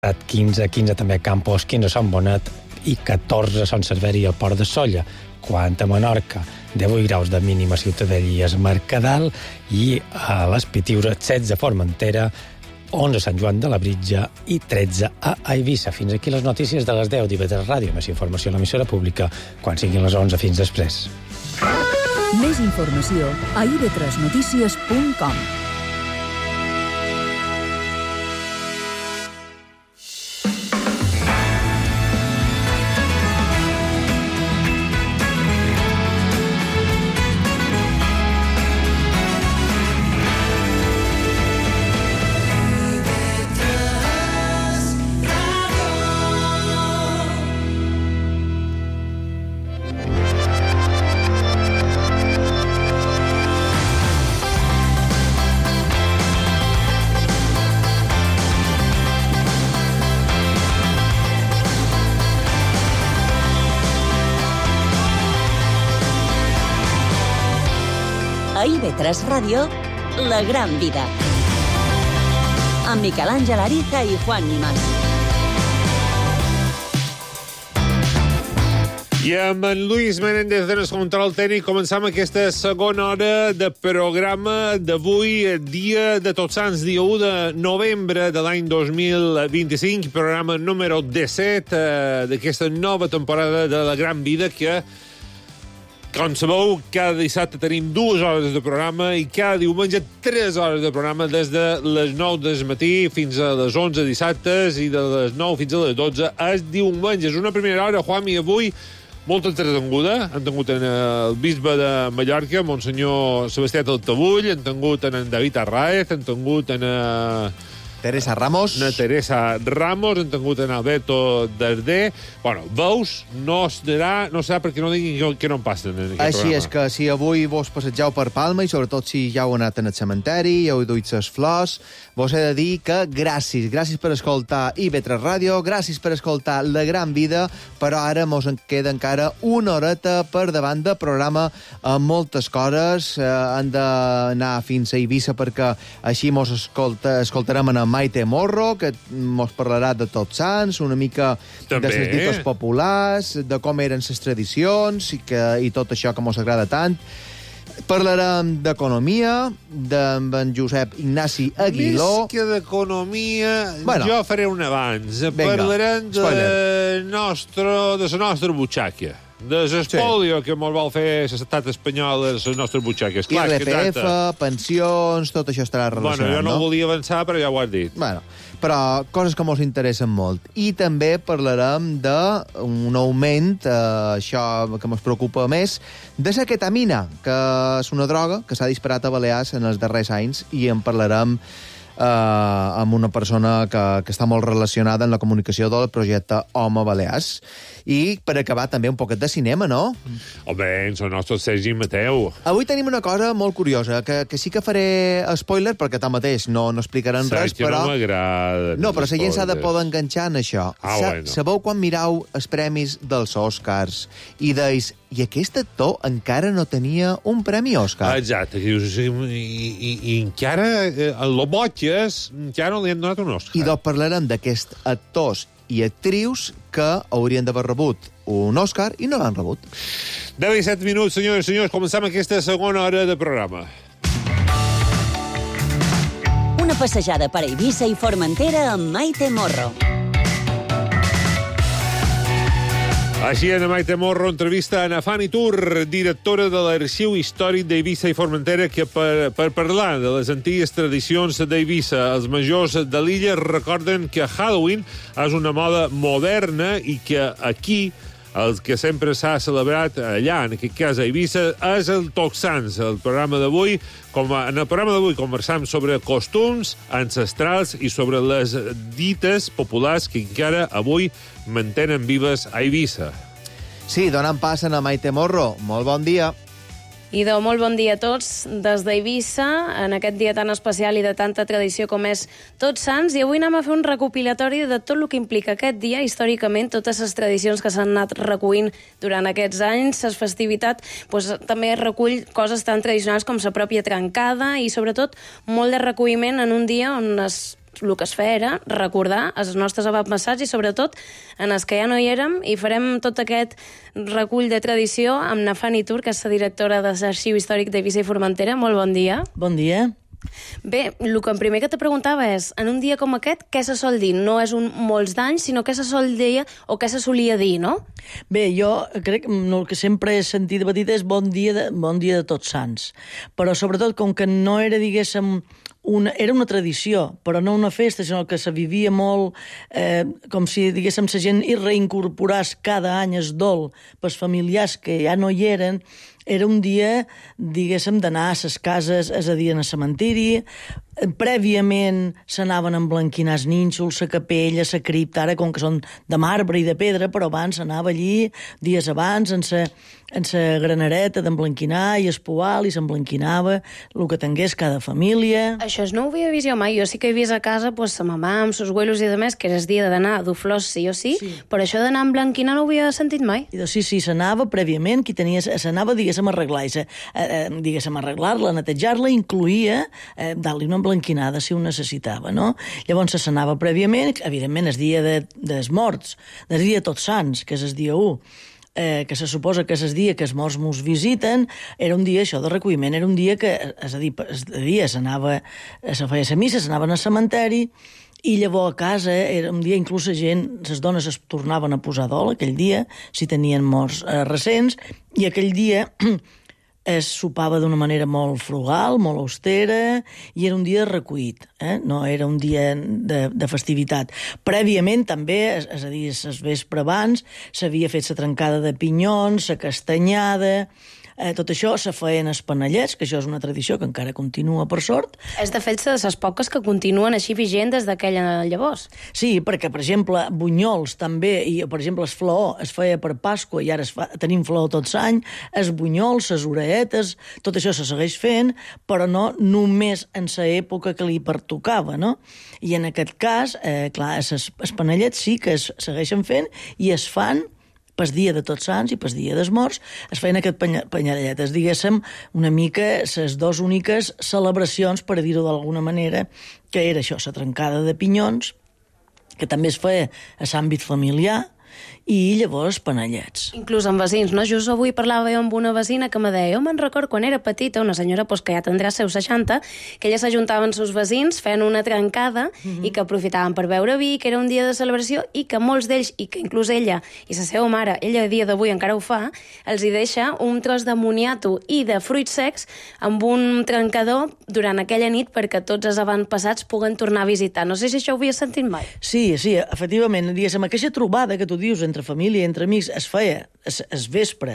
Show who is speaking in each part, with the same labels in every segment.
Speaker 1: 15 també a Campos, 15 a Sant Bonet i 14 a Sant Cerveri al Port de Sóller. Quant a Menorca, 18 graus de mínima a Ciutadella i es Mercadal, i a les Pitiures 16 a Formentera, 11 a Sant Joan de la Britja i 13 a Eivissa. Fins aquí les notícies de les 10 d'IV3 Ràdio. Més informació a l'emissora pública quan siguin les 11. Fins després.
Speaker 2: Més informació a ib3notícies.com.
Speaker 3: A IB3 Ràdio, La Gran Vida. Amb Miquel Àngel Ariza i Juan Nimas.
Speaker 4: I amb en Luis Menéndez en el control tècnic començam aquesta segona hora de programa d'avui, dia de Tots Sants, dia 1 de novembre de l'any 2025, programa número 17 d'aquesta nova temporada de La Gran Vida, que, com sabeu, cada dissabte tenim 2 hores de programa i cada diumenge 3 hores de programa des de les 9 del matí fins a les 11 dissabtes i de les 9 fins a les 12 els diumenges. Una primera hora, Juan, i avui molt entretenguda. Han tingut en el bisbe de Mallorca, Monsenyor Sebastià Taltabull, han tingut en David Arraez, han tingut en
Speaker 5: Teresa Ramos.
Speaker 4: Teresa Ramos, han tingut en Alberto Darder. Bueno, veus, no serà perquè no diguin que no en passen en aquest
Speaker 5: Així
Speaker 4: programa.
Speaker 5: és que si avui vos passegeu per Palma, i sobretot si ja heu anat en el cementeri, ja heu duit les flors, vos he de dir que gràcies per escoltar IB3 Ràdio, gràcies per escoltar La Gran Vida, però ara mos en queda encara una horeta per davant de programa amb moltes coses. Han d'anar fins a Eivissa perquè així mos escoltarem en Maite Morro, que mos parlarà de Tots Sants, una mica
Speaker 4: També.
Speaker 5: de les dites populars, de com eren les tradicions i tot això que mos agrada tant. Parlarem d'economia, d'en Josep Ignasi Aguiló.
Speaker 4: Més que d'economia,
Speaker 5: Bueno.
Speaker 4: jo faré un abans.
Speaker 5: Vinga,
Speaker 4: Parlarem de la nostra butxaca, de l'espòlio que mos vol fer l'estat espanyol a les nostres butxaques. Clar, és que
Speaker 5: IRPF,
Speaker 4: tanta.
Speaker 5: pensions, tot això estarà relacionat,
Speaker 4: Bueno, jo no
Speaker 5: no?
Speaker 4: volia avançar, però ja ho has dit.
Speaker 5: Bueno, però coses que mos interessen molt. I també parlarem d'un augment, això que mos preocupa més, de la ketamina, que és una droga que s'ha disparat a Balears en els darrers anys, i en parlarem amb una persona que està molt relacionada en la comunicació del projecte Home Balears. I per acabar també un poquet de cinema, no?
Speaker 4: Home, ens el nostre Sergi Mateu.
Speaker 5: Avui tenim una cosa molt curiosa, que sí que faré spoiler, perquè tanmateix no explicaran res,
Speaker 4: Saps que
Speaker 5: però...
Speaker 4: no m'agrada.
Speaker 5: No, però la gent s'ha de poder enganxar en això.
Speaker 4: Bueno.
Speaker 5: Sabeu quan mirau els premis dels Oscars i deis, i aquest actor encara no tenia un premi Oscar?
Speaker 4: Exacte. I encara, el Botges, encara no li han donat un Oscar.
Speaker 5: I doncs parlarem d'aquests actors i actrius que haurien d'haver rebut un Oscar i no l'han rebut.
Speaker 4: 10 i 7 minuts, senyores i senyors, començam aquesta segona hora de programa.
Speaker 3: Una passejada per Eivissa i Formentera amb Maite Morro.
Speaker 4: Així, en Maite Morro entrevista a Ana Fanny Tur, directora de l'Arxiu Històric d'Eivissa i Formentera, que per parlar de les antigues tradicions d'Eivissa, els majors de l'illa recorden que Halloween és una moda moderna i que aquí el que sempre s'ha celebrat allà, en aquest cas a Eivissa, és el Tots Sants. En el programa d'avui conversam sobre costums ancestrals i sobre les dites populars que encara avui mantenen vives a Eivissa.
Speaker 5: Sí, donant pas a Maite Morro. Molt bon dia.
Speaker 6: Idò, molt bon dia a tots des d'Eivissa, en aquest dia tan especial i de tanta tradició com és Tots Sants, i avui anem a fer un recopilatori de tot el que implica aquest dia, històricament, totes les tradicions que s'han anat recollint durant aquests anys. La festivitat també recull coses tan tradicionals com la pròpia trencada i, sobretot, molt de recolliment en un dia on es el que es feia era recordar els nostres avantpassats i sobretot en els que ja no hi érem, i farem tot aquest recull de tradició amb Nafani Tur, que és la directora de l'Arxiu Històric d'Eivissa i Formentera. Molt bon dia.
Speaker 7: Bon dia.
Speaker 6: Bé, el que primer que te preguntava és, en un dia com aquest, què se sol dir? No és un molts d'anys, sinó què se sol dir o què se solia dir, no?
Speaker 7: Bé, jo crec que el que sempre he sentit de petita és bon dia de Tots Sants. Però sobretot, com que no era, diguéssim, era una tradició, però no una festa, sinó que se vivia molt com si, diguéssim, la gent hi reincorporés cada any el dol pels familiars que ja no hi eren. Era un dia, diguéssim, d'anar a les cases, és a dir, al cementiri. Prèviament s'anaven a emblanquinar els nínxols, la capella, la cripta, ara com que són de marbre i de pedra, però abans s'anava allí, dies abans, en la granareta d'emblanquinar i espoal, i s'emblanquinava el que tingués cada família.
Speaker 6: Això no ho havia vist jo mai. Jo sí que he vist a casa sa mamà amb sos abuelos i demés, que era el dia d'anar a dur flors sí o sí, però això d'anar a emblanquinar no ho havia sentit mai.
Speaker 7: Sí, s'anava prèviament, s'anava, diguéssim, a arreglar, diguéssim, arreglar-la, netejar-la, incluïa dar-li una emblanquinada si ho necessitava, no? Llavors s'anava prèviament, evidentment, el dia dels morts, el dia de Tots Sants, que és el dia 1, que se suposa que és el dia que els morts mos visiten, era un dia, això, de recolliment, era un dia que, és a dir, el dia se feia la missa, s'anaven al cementeri, i llavors a casa era un dia, inclús la gent, les dones es tornaven a posar dol aquell dia, si tenien morts recents, i aquell dia es sopava d'una manera molt frugal, molt austera, i era un dia recollit, no era un dia de festivitat. Prèviament també, és a dir, el vespre abans, s'havia fet la trencada de pinyons, la castanyada. Tot això se feien els panellets, que això és una tradició que encara continua, per sort.
Speaker 6: És, de fet, de les poques que continuen així vigent des d'aquella llavors.
Speaker 7: Sí, perquè, per exemple, bunyols també, i, per exemple, el flaó es feia per Pasqua i ara tenim flaó tots l'any, els bunyols, les orelletes, tot això se segueix fent, però no només en l'època que li pertocava, no? I en aquest cas, clar, els panellets sí que es segueixen fent i es fan pel dia de Tots Sants i pel dia dels morts, es feien aquest panelletes, diguéssim, una mica les dues úniques celebracions, per dir-ho d'alguna manera, que era això, la trencada de pinyons, que també es feia a l'àmbit familiar, i llavors panellets.
Speaker 6: Inclús amb vecins, no? Just avui parlava jo amb una vecina que me deia, jo me'n record quan era petita, una senyora que ja tindrà seus 60, que ella s'ajuntaven seus vecins, feien una trencada i que aprofitaven per beure vi, que era un dia de celebració, i que molts d'ells, i que inclús ella i la seva mare, ella a dia d'avui encara ho fa, els hi deixa un tros de moniato i de fruits secs amb un trencador durant aquella nit perquè tots els avantpassats puguen tornar a visitar. No sé si això ho havies sentit mai.
Speaker 7: Sí, efectivament, diguéssim, aquesta trobada que tu dius entre família i entre amics es feia el vespre,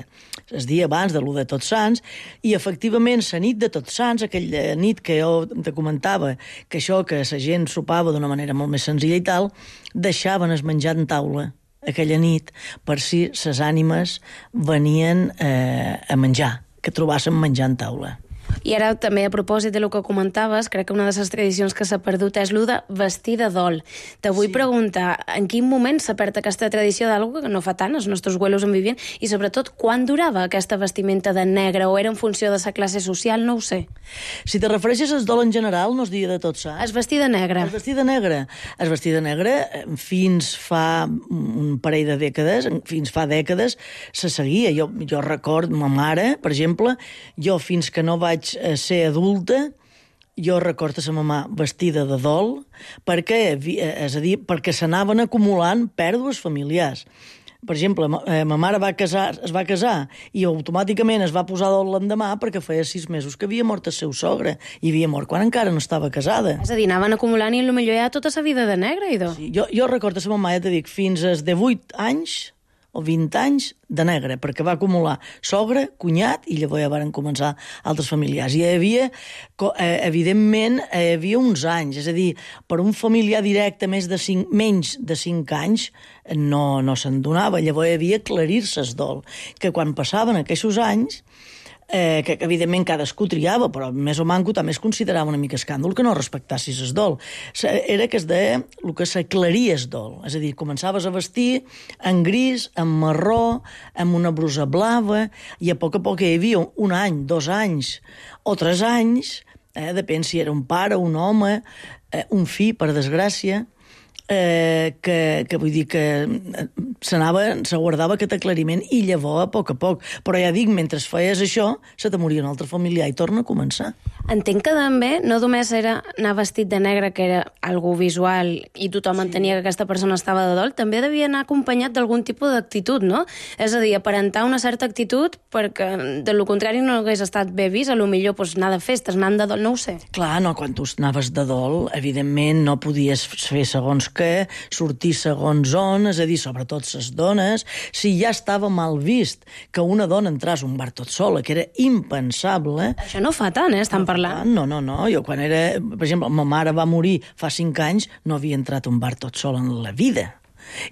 Speaker 7: el dia abans de l'1 de Tots Sants, i efectivament la nit de Tots Sants, aquella nit que jo te comentava, que això que la gent sopava d'una manera molt més senzilla i tal, deixaven el menjar en taula aquella nit per si les ànimes venien a menjar, que trobassin menjar en taula.
Speaker 6: I ara també a propòsit de lo que comentaves, crec que una de les tradicions que s'ha perdut és l'u de vestir de dol. Te vull preguntar, en quin moment s'ha perdut aquesta tradició d'algú que no fa tant, els nostres abuelos en vivien, i sobretot, quan durava aquesta vestimenta de negre, o era en funció de la classe social, no ho sé.
Speaker 7: Si te refereixes al dol en general, no es dia de Tots Sants.
Speaker 6: Es vestir de negre.
Speaker 7: Es vestir de negre. Es vestir de negre fins fa un parell de dècades, fins fa dècades, se seguia. Jo record, ma mare, per exemple, jo fins que no vaig ser adulta, jo recordo la mamà vestida de dol perquè, és a dir, perquè s'anaven acumulant pèrdues familiars. Per exemple, ma mare es va casar i automàticament es va posar dol l'endemà perquè feia 6 mesos que havia mort el seu sogre i havia mort quan encara no estava casada.
Speaker 6: És a dir, anaven acumulant i potser ja tota la vida de negre, idò.
Speaker 7: Sí, jo recordo la mamà, ja t'he dit, fins als 18 anys o 20 anys de negre, perquè va acumular sogre, cunyat, i llavors ja van començar altres familiars. I hi havia, evidentment, hi havia uns anys, és a dir, per un familiar directe menys de 5 anys no se'n donava. Llavors hi havia aclarir-se el dol, que quan passaven aquests anys, que evidentment cadascú triava, però més o manco també es considerava una mica escàndol que no respectassis el dol. Era que es deia el que s'aclaria el dol, és a dir, començaves a vestir en gris, en marró, amb una brusa blava, i a poc hi havia un any, 2 anys o 3 anys depèn si era un pare, un home, un fill, per desgràcia, que vull dir que se guardava aquest aclariment i llavors a poc, però ja dic, mentre feies això se te moria un altre familiar i torna a començar.
Speaker 6: Entenc que també no només era anar vestit de negre, que era algú visual i tothom entenia que aquesta persona estava de dol, també devia anar acompanyat d'algun tipus d'actitud, no? És a dir, aparentar una certa actitud perquè de lo contrari no hagués estat bé vist, a lo millor anar de festes, anant de dol, no ho sé.
Speaker 7: Clar, no, quan tu anaves de dol, evidentment no podies fer segons què, sortir segons on, és a dir, sobretot les dones, si ja estava mal vist que una dona entràs a un bar tot sola, que era impensable...
Speaker 6: Això no fa tant, estan parlant.
Speaker 7: No, jo quan era... Per exemple, ma mare va morir fa 5 anys, no havia entrat a un bar tot sola en la vida.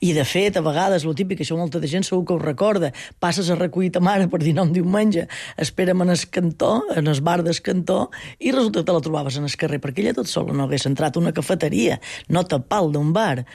Speaker 7: I, de fet, a vegades, lo típic, això molta de gent segur que ho recorda, passes a recollir ta mare per dinar un diumenge, espera'm en el cantó, en el bar del cantó, i resulta que te la trobaves en el carrer, perquè ella tot sola no hagués entrat a una cafeteria, no tapal d'un bar.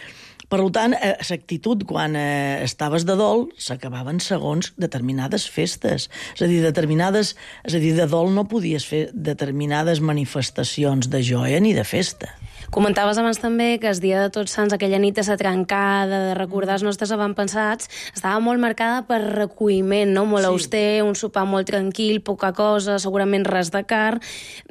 Speaker 7: Per tant, l'actitud quan estaves de dol s'acabaven segons determinades festes. És a dir, de dol no podies fer determinades manifestacions de joia ni de festa.
Speaker 6: Comentaves abans també que el dia de Tots Sants, aquella nit de la trencada, de recordar els nostres avantpassats, estava molt marcada per recolliment, no? Molt auster, un sopar molt tranquil, poca cosa, segurament res de car.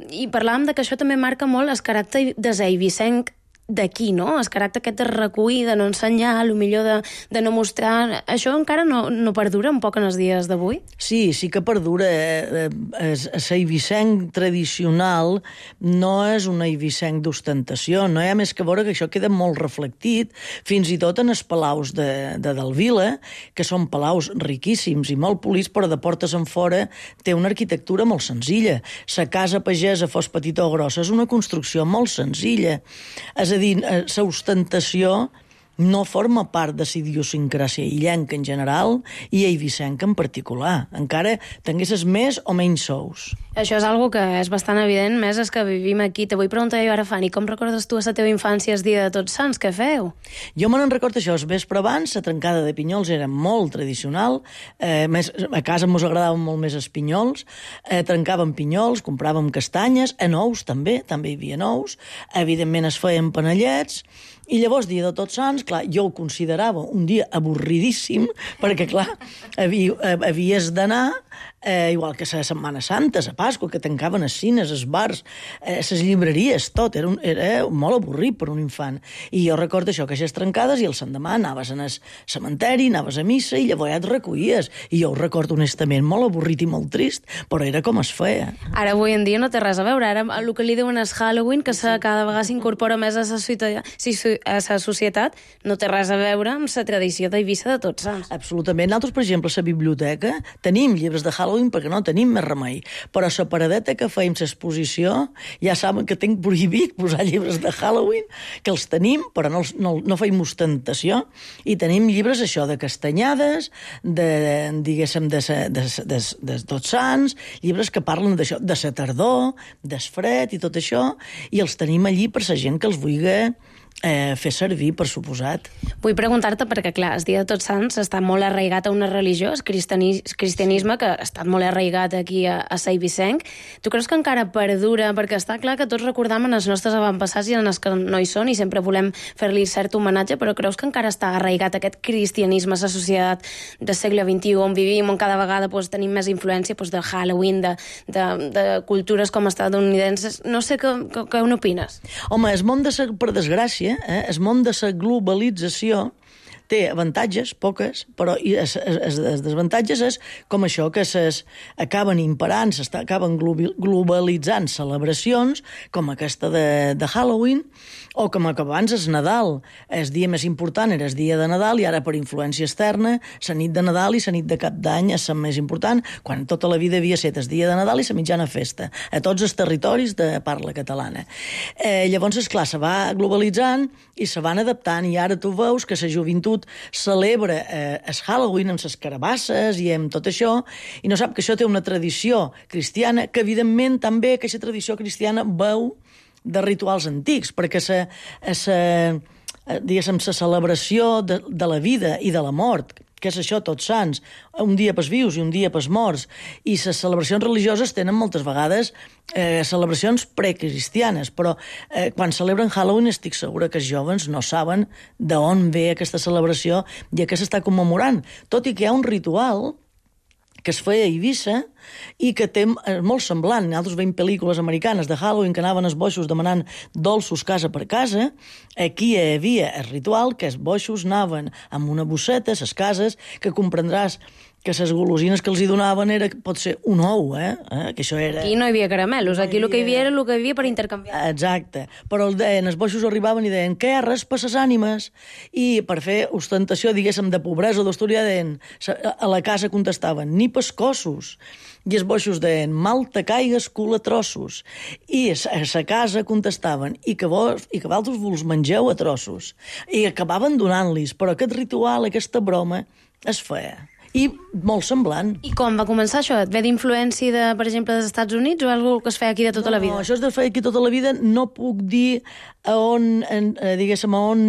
Speaker 6: I parlàvem de que això també marca molt el caràcter desaïvissenc d'aquí, no? El caràcter aquest de recollir, de no ensenyar, potser de no mostrar... Això encara no perdura un poc en els dies d'avui?
Speaker 7: Sí que perdura. El eivissenc tradicional no és un eivissenc d'ostentació, no hi ha més que veure que això queda molt reflectit, fins i tot en els palaus de Delvila, que són palaus riquíssims i molt polits, però de portes en fora té una arquitectura molt senzilla. La casa pagesa, fos petita o grossa, és una construcció molt senzilla. És a dir, la ostentació no forma part de la idiosincràsia illenca en general i eivissenca en particular. Encara tinguessis més o menys sous.
Speaker 6: Això és algo que és bastant evident, més és que vivim aquí. Te vull preguntar jo ara, Fanny, com recordes tu a la teva infància el dia de Tots Sants? Què feu?
Speaker 7: Jo me n'en recordo això. El vespre abans, la trencada de pinyols era molt tradicional. A casa mos agradaven molt més els pinyols. Trencàvem pinyols, compràvem castanyes, nous també hi havia nous. Evidentment es feien panellets. I llavors, dia de Tots Sants, clar, jo ho considerava un dia avorridíssim, perquè, clar, havies d'anar, igual que a Setmana Santa, a Pasqua, que tancaven els cines, els bars, les llibreries, tot. Era molt avorrit per un infant. I jo recordo això, que aquestes trencades, i el l'endemà anaves al cementeri, anaves a missa, i llavors ja et recollies. I jo ho recordo honestament molt avorrit i molt trist, però era com es feia.
Speaker 6: Ara, avui en dia, no té res a veure. Ara, el que li diuen és Halloween, que cada vegada s'incorpora més a la societat, no té res a veure amb la tradició d'Eivissa de Tots Sants.
Speaker 7: Absolutament. Nosaltres, per exemple, a la biblioteca tenim llibres de Halloween perquè no tenim més remei. Però a la paradeta que fèiem l'exposició ja saben que tinc prohibit posar llibres de Halloween, que els tenim, però no feim ostentació. I tenim llibres, això, de castanyades, diguéssim, de Tots Sants, llibres que parlen d'això, de la tardor, del fred i tot això, i els tenim allí per la gent que els vulgui fer servir, per suposat.
Speaker 6: Vull preguntar-te perquè, clar, el dia de Tots Sants està molt arraigat a una religió, el cristianisme, que ha estat molt arraigat aquí a Eivissenc. Tu creus que encara perdura? Perquè està clar que tots recordam en els nostres avantpassats i en els que no hi són i sempre volem fer-li cert homenatge, però creus que encara està arraigat aquest cristianisme a la societat del segle XXI on vivim, on cada vegada tenim més influència de Halloween, de cultures com estadounidenses? No sé què n'opines.
Speaker 7: Home, el món, per desgràcia, el món de la globalització té avantatges, poques, però els desavantatges és com això, que acaben imperant, acaben globalitzant celebracions com aquesta de Halloween, o com que abans és Nadal. El dia més important era el dia de Nadal i ara, per influència externa, la nit de Nadal i la nit de Cap d'Any és la més important, quan tota la vida havia estat el dia de Nadal i la mitjana festa, a tots els territoris de parla catalana. Llavors, esclar, se va globalitzant i se van adaptant, i ara tu veus que la joventut celebra el Halloween amb les carabasses i amb tot això, i no sap que això té una tradició cristiana, que evidentment també aquesta tradició cristiana veu de rituals antics, perquè la celebració de la vida i de la mort, què és això, Tots Sants? Un dia pels vius i un dia pels morts. I les celebracions religioses tenen moltes vegades celebracions precristianes, però quan celebren Halloween estic segura que els joves no saben d'on ve aquesta celebració i a què s'està commemorant. Tot i que hi ha un ritual que es feia a Eivissa i que té molt semblant. Nosaltres veiem pel·lícules americanes de Halloween que anaven els boixos demanant dolços casa per casa. Aquí hi havia el ritual que els boixos anaven amb una bosseta a les cases, que comprendràs que les golosines que els hi donaven era, pot ser un ou, que això era...
Speaker 6: Aquí no hi havia caramelos, aquí el que hi havia era el que hi havia per intercanviar.
Speaker 7: Exacte, però els boixos arribaven i deien què, res per les ànimes, i per fer ostentació, diguéssim, de pobresa o d'història, a la casa contestaven ni pescossos, i els boixos deien mal te caigues, cul a trossos, i a la casa contestaven i que vosaltres vos mengeu a trossos, i acabaven donant-los, però aquest ritual, aquesta broma, es feia. I molt semblant.
Speaker 6: I com va començar això? Et ve d'influència, per exemple, dels Estats Units o alguna que es feia aquí de tota la vida?
Speaker 7: No, això es feia aquí tota la vida. No puc dir on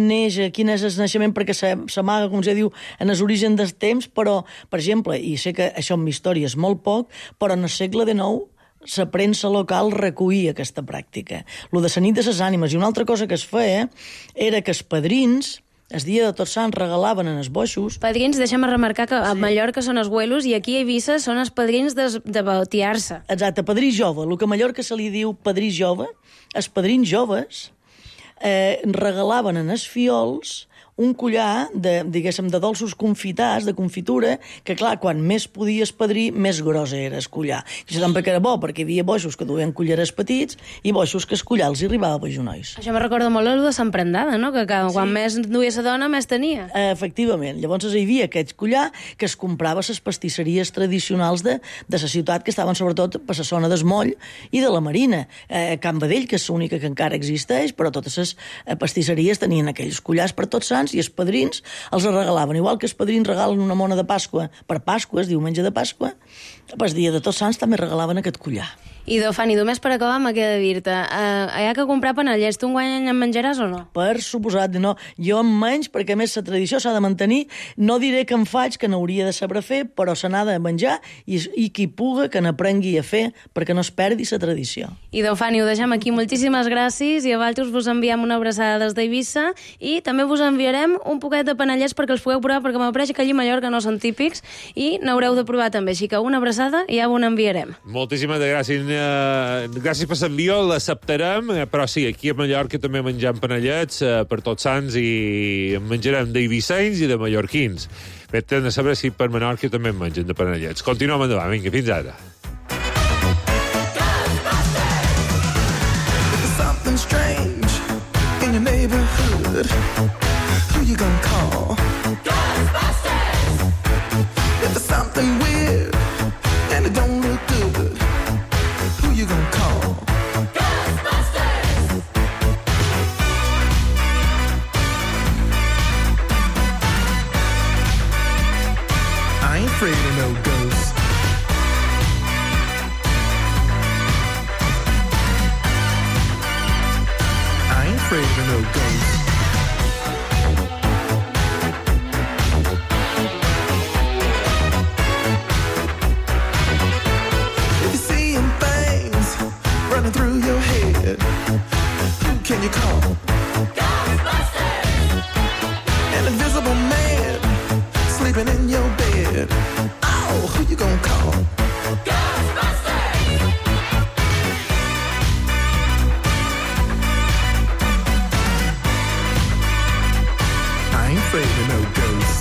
Speaker 7: neix, quin és el naixement, perquè s'amaga, com ja diu, en els orígens dels temps, però, per exemple, i sé que això en història és molt poc, però en el segle XIX la premsa local recollia aquesta pràctica. Lo de la nit de les ànimes. I una altra cosa que es feia era que els padrins, el dia de Tots Sants, regalaven en els boixos...
Speaker 6: Padrins, deixa'm remarcar que a Mallorca són els güelos i aquí a Eivissa són els padrins de bautiar-se.
Speaker 7: Exacte, padrí jove. El que a Mallorca se li diu padrí jove, els padrins joves regalaven en els fiols un collar de dolços confitats, de confitura, que, clar, quan més podies padrí, més gros era el collar. I això tampoc era bo, perquè hi havia boixos que duien collarets petits i boixos que el collar els arribava per genolls.
Speaker 6: Això me recorda molt el de Sant Prendada, no? Que quan més duia la dona, més tenia.
Speaker 7: Efectivament. Llavors hi havia aquest collar que es comprava a les pastisseries tradicionals de la ciutat, que estaven sobretot per la zona del Moll i de la Marina. Can Badell, que és l'única que encara existeix, però totes les pastisseries tenien aquells collars per Tots Sants i els padrins els regalaven. Igual que els padrins regalen una mona de Pasqua per Pasqua, diumenge de Pasqua, el dia de Tots Sants també regalaven aquest collar.
Speaker 6: I, Fanny, només per acabar me queda dir-te, hi ha que comprar panellets, tu enguany en menjaràs o no?
Speaker 7: Per suposat, no. Jo en menys, perquè a més la tradició s'ha de mantenir. No diré que en faig, que n'hauria de saber fer, però se n'ha de menjar i qui puga que n'aprengui a fer perquè no es perdi la tradició.
Speaker 6: I, Fanny, ho deixem aquí. Moltíssimes gràcies i a vosaltres vos enviem una abraçada des d'Eivissa i també vos enviarem un poquet de panellets perquè els pugueu provar, perquè m'apareix que allí a Mallorca no són típics i n'haureu de provar també. Així que una abraçada i ja ho n'enviarem.
Speaker 4: Moltíssimes gràcies. Gràcies per l'envió, l'acceptarem, però sí, aquí a Mallorca també mengem panellets per Tots Sants i en menjarem d'eivissencs i de mallorquins. Bé, hem de saber si per Menorca també en mengen de panellets. Continuem endavant, vinga, fins ara.
Speaker 8: Something strange in your neighborhood. Who you gonna call? Ghostbusters! If there's something weird and it don't look good, who you gonna call? Ghostbusters! I ain't afraid of no ghosts. I ain't afraid of no ghosts. Through your head, who can you call? Ghostbusters! An invisible man sleeping in your bed. Oh, who you gonna call? Ghostbusters! I ain't afraid of no ghosts.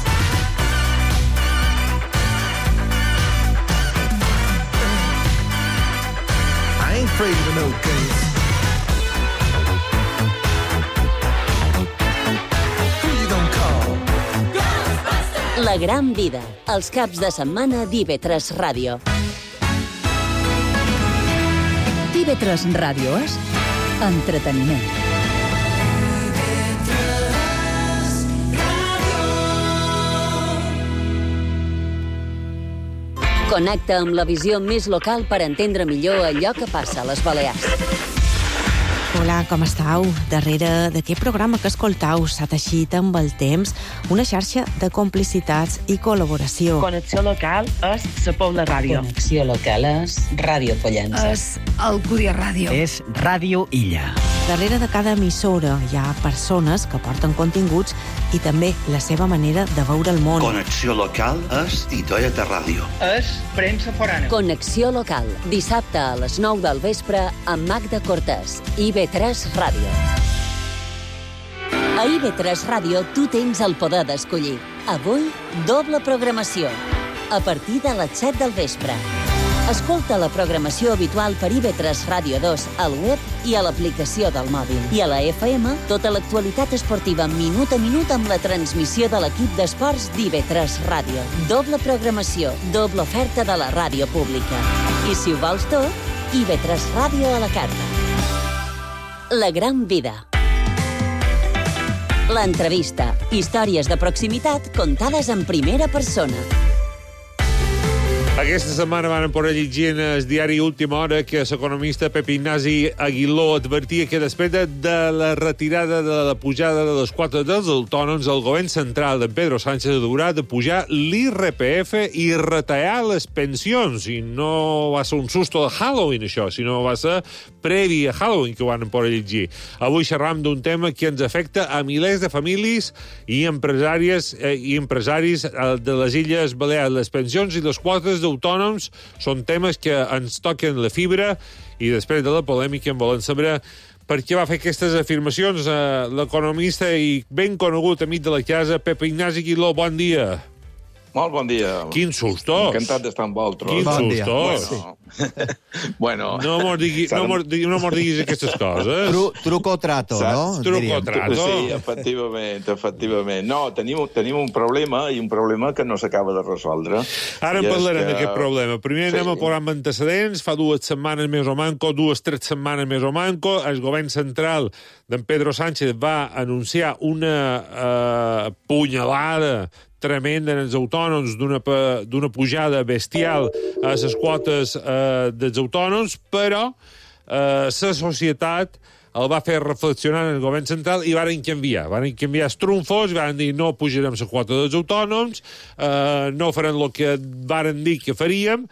Speaker 8: Afraid of no ghosts. Who you gonna call? Ghostbusters!
Speaker 3: La gran vida, els caps de setmana d'IV3 Ràdio.
Speaker 2: IB3 Ràdio és entreteniment.
Speaker 3: Connecta amb la visió més local per entendre millor allò que passa a les Balears.
Speaker 9: Hola, com estàu? Darrere d'aquest programa que escoltau s'ha teixit amb el temps una xarxa de complicitats i col·laboració.
Speaker 10: Connexió local és la Pobla Ràdio.
Speaker 11: Connexió local és Ràdio Pollença.
Speaker 2: És Alcúdia Ràdio.
Speaker 11: És Ràdio Illa.
Speaker 9: Darrere de cada emissora hi ha persones que porten continguts i també la seva manera de veure el món.
Speaker 12: Connexió local és Titoieta Ràdio.
Speaker 10: És premsa forana.
Speaker 3: Connexió local, dissabte a les 9 del vespre amb Magda Cortés, IB3 Ràdio. A IB3 Ràdio tu tens el poder d'escollir. Avui, doble programació. A partir de les 7 del vespre. Escolta la programació habitual per IB3 Ràdio 2 al web i a l'aplicació del mòbil. I a la FM, tota l'actualitat esportiva minut a minut amb la transmissió de l'equip d'esports d'IB3 Ràdio. Doble programació, doble oferta de la ràdio pública. I si ho vols tot, IB3 Ràdio a la carta. La gran vida. L'entrevista. Històries de proximitat contades en primera persona.
Speaker 4: Aquesta setmana van poder llegir en el diari Última Hora que l'economista Pep Ignasi Aguiló advertia que després de la retirada de la pujada de les quotes dels autònoms, el govern central de Pedro Sánchez haurà de pujar l'IRPF i retallar les pensions. I no va ser un susto de Halloween, això, sinó va ser previ a Halloween que ho van poder llegir. Avui xerram d'un tema que ens afecta a milers de famílies i empresaris de les Illes Balears. Les pensions i les quotes d'autònoms són temes que ens toquen la fibra i després de la polèmica en volen saber per què va fer aquestes afirmacions l'economista i ben conegut amic de la casa, Pep Ignasi Aguiló. Bon dia.
Speaker 13: Molt bon dia.
Speaker 4: Quin sustos.
Speaker 13: Encantat d'estar amb vosaltres.
Speaker 4: Quin sustos.
Speaker 13: Bueno.
Speaker 4: No mos diguis aquestes coses.
Speaker 5: Truco o trato, no?
Speaker 4: Truco o trato.
Speaker 13: Sí, efectivament. No, tenim un problema i un problema que no s'acaba de resoldre.
Speaker 4: Ara en parlarem d'aquest problema. Primer anem a posar amb antecedents. Fa 2 setmanes més o manco, 2-3 setmanes més o manco, el govern central d'en Pedro Sánchez va anunciar una punyalada tremenda en els autònoms d'una pujada bestial a les quotes dels autònoms, però la societat el va fer reflexionar en el govern central i varen canviar els trumfos, varen dir no pujarem la quota dels autònoms, no farem el que varen dir que faríem,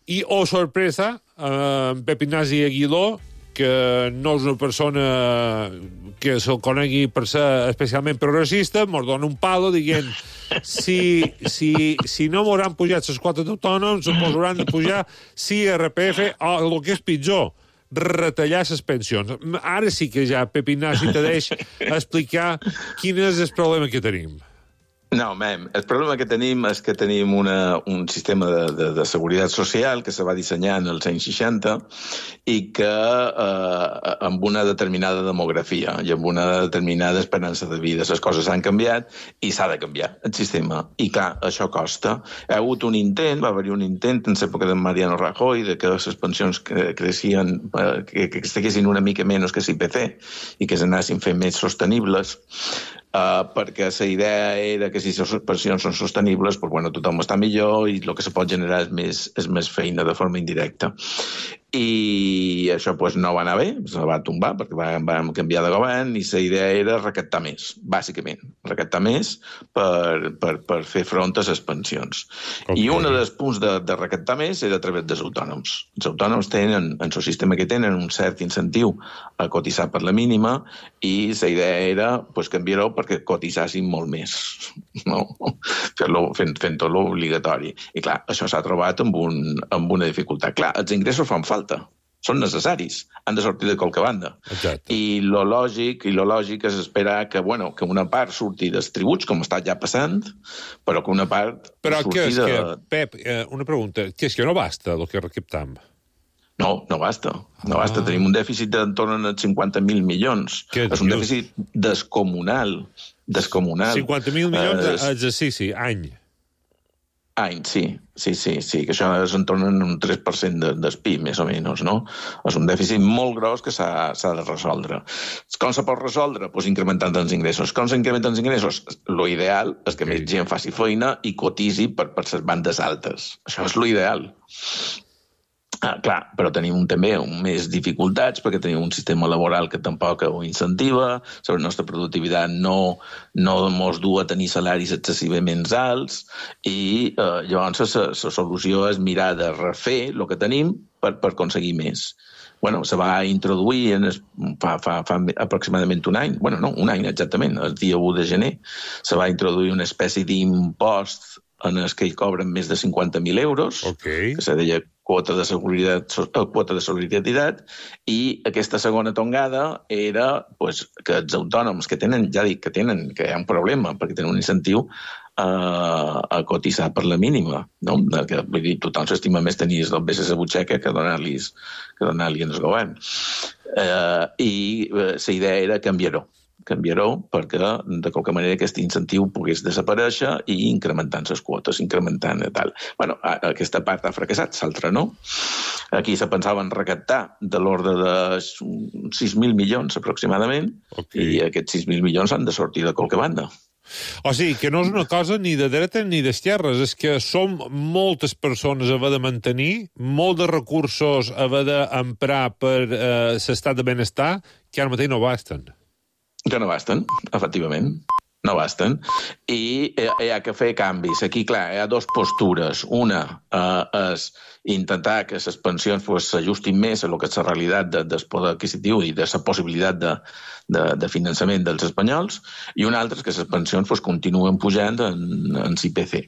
Speaker 4: i, oh sorpresa, Pep Ignasi Aguiló, que no és una persona que se'l conegui per ser especialment progressista, mos dona un palo dient si no m'hauran pujat les quotes d'autònoms, mos hauran de pujar IRPF o el que és pitjor, retallar les pensions. Ara sí que ja Pep Ignasi te deix explicar quin és el problema que tenim.
Speaker 13: No, el problema que tenim és que tenim un sistema de seguretat social que se va dissenyar en els anys 60 i que amb una determinada demografia i amb una determinada esperança de vida. Les coses han canviat i s'ha de canviar el sistema. I clar, això costa. Hi ha hagut un intent, va haver-hi un intent en l'època de Mariano Rajoy de que les pensions creixien, que estiguessin una mica menys que l'IPC i que s'anessin fent més sostenibles, perquè la idea era que si les pensions són sostenibles, doncs, bueno, tothom està millor i el que se pot generar és més feina de forma indirecta. I això pues, no va anar bé, se va tombar perquè vam canviar de govern i la idea era recaptar més, bàsicament, recaptar més per fer front a les pensions. Okay. I un dels punts de recaptar més era a través dels autònoms. Els autònoms tenen, en el sistema que tenen, un cert incentiu a cotitzar per la mínima i la idea era pues, canviar-ho perquè cotitzassin molt més, no? Fent-ho obligatori. I clar, això s'ha trobat amb una dificultat. Clar, els ingressos fan falta, són necessaris, han de sortir de qualque banda.
Speaker 4: Exacte.
Speaker 13: I lo lògic és esperar que una part surti dels tributs, com està ja passant, però que una part surti de...
Speaker 4: Pep, una pregunta, què és que no basta el que recaptam?
Speaker 13: No basta. Tenim un dèficit d'entorn als 50.000 milions. És un dèficit descomunal.
Speaker 4: 50.000 milions exercici, any.
Speaker 13: Sí, que això és en torn a un 3% del PIB, més o menys, no? És un dèficit molt gros que s'ha de resoldre. Com se pot resoldre? Doncs incrementant els ingressos. Com s'incrementen els ingressos? Lo ideal és que més gent faci feina i cotitzi per les bandes altes. Això és lo ideal. Clar, però tenim també més dificultats perquè tenim un sistema laboral que tampoc ho incentiva, la nostra productivitat no ens du a tenir salaris excessivament alts i llavors la solució és mirar de refer el que tenim per aconseguir més. Bueno, se va introduir fa aproximadament un any, un any exactament, el dia 1 de gener, se va introduir una espècie d'impost en els que hi cobren més de 50.000 euros, que se deia quota de solidaritat, i aquesta segona tongada era que els autònoms que tenen, ja dic que hi ha un problema, perquè tenen un incentiu a cotitzar per la mínima, no? Vull dir, tothom s'estima més tenir el BSS butxaca que donar-li al govern. I la idea era canviar-ho perquè de qualque manera aquest incentiu pogués desaparèixer i incrementant les quotes, incrementant i tal. Bueno, aquesta part ha fracassat, l'altra no. Aquí se pensava en recaptar de l'ordre de 6.000 milions aproximadament, i aquests 6.000 milions han de sortir de qualque banda.
Speaker 4: O sigui, que no és una cosa ni de dreta ni d'esquerres, és que som moltes persones a haver de mantenir, molts de recursos a haver d'emprar per l'estat de benestar, que ara mateix no basten.
Speaker 13: Que no basten, efectivament. No basten. I hi ha que fer canvis. Aquí, clar, hi ha dues postures. Una és intentar que les pensions s'ajustin més a lo que és la realitat del poder adquisitiu i de la possibilitat de finançament dels espanyols, i una altra és que les pensions continuen pujant en l'IPC.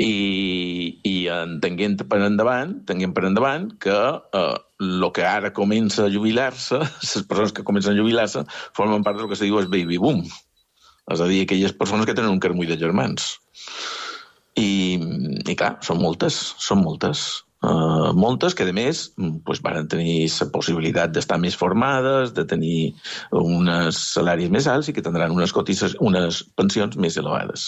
Speaker 13: I entenguem per endavant que el que ara comença a jubilar-se, les persones que comencen a jubilar-se, formen part del que se diu el baby boom. És a dir, aquelles persones que tenen un carmull de germans. I clar, són moltes. Moltes que, a més, van tenir la possibilitat d'estar més formades, de tenir uns salaris més alts i que tindran unes pensions més elevades.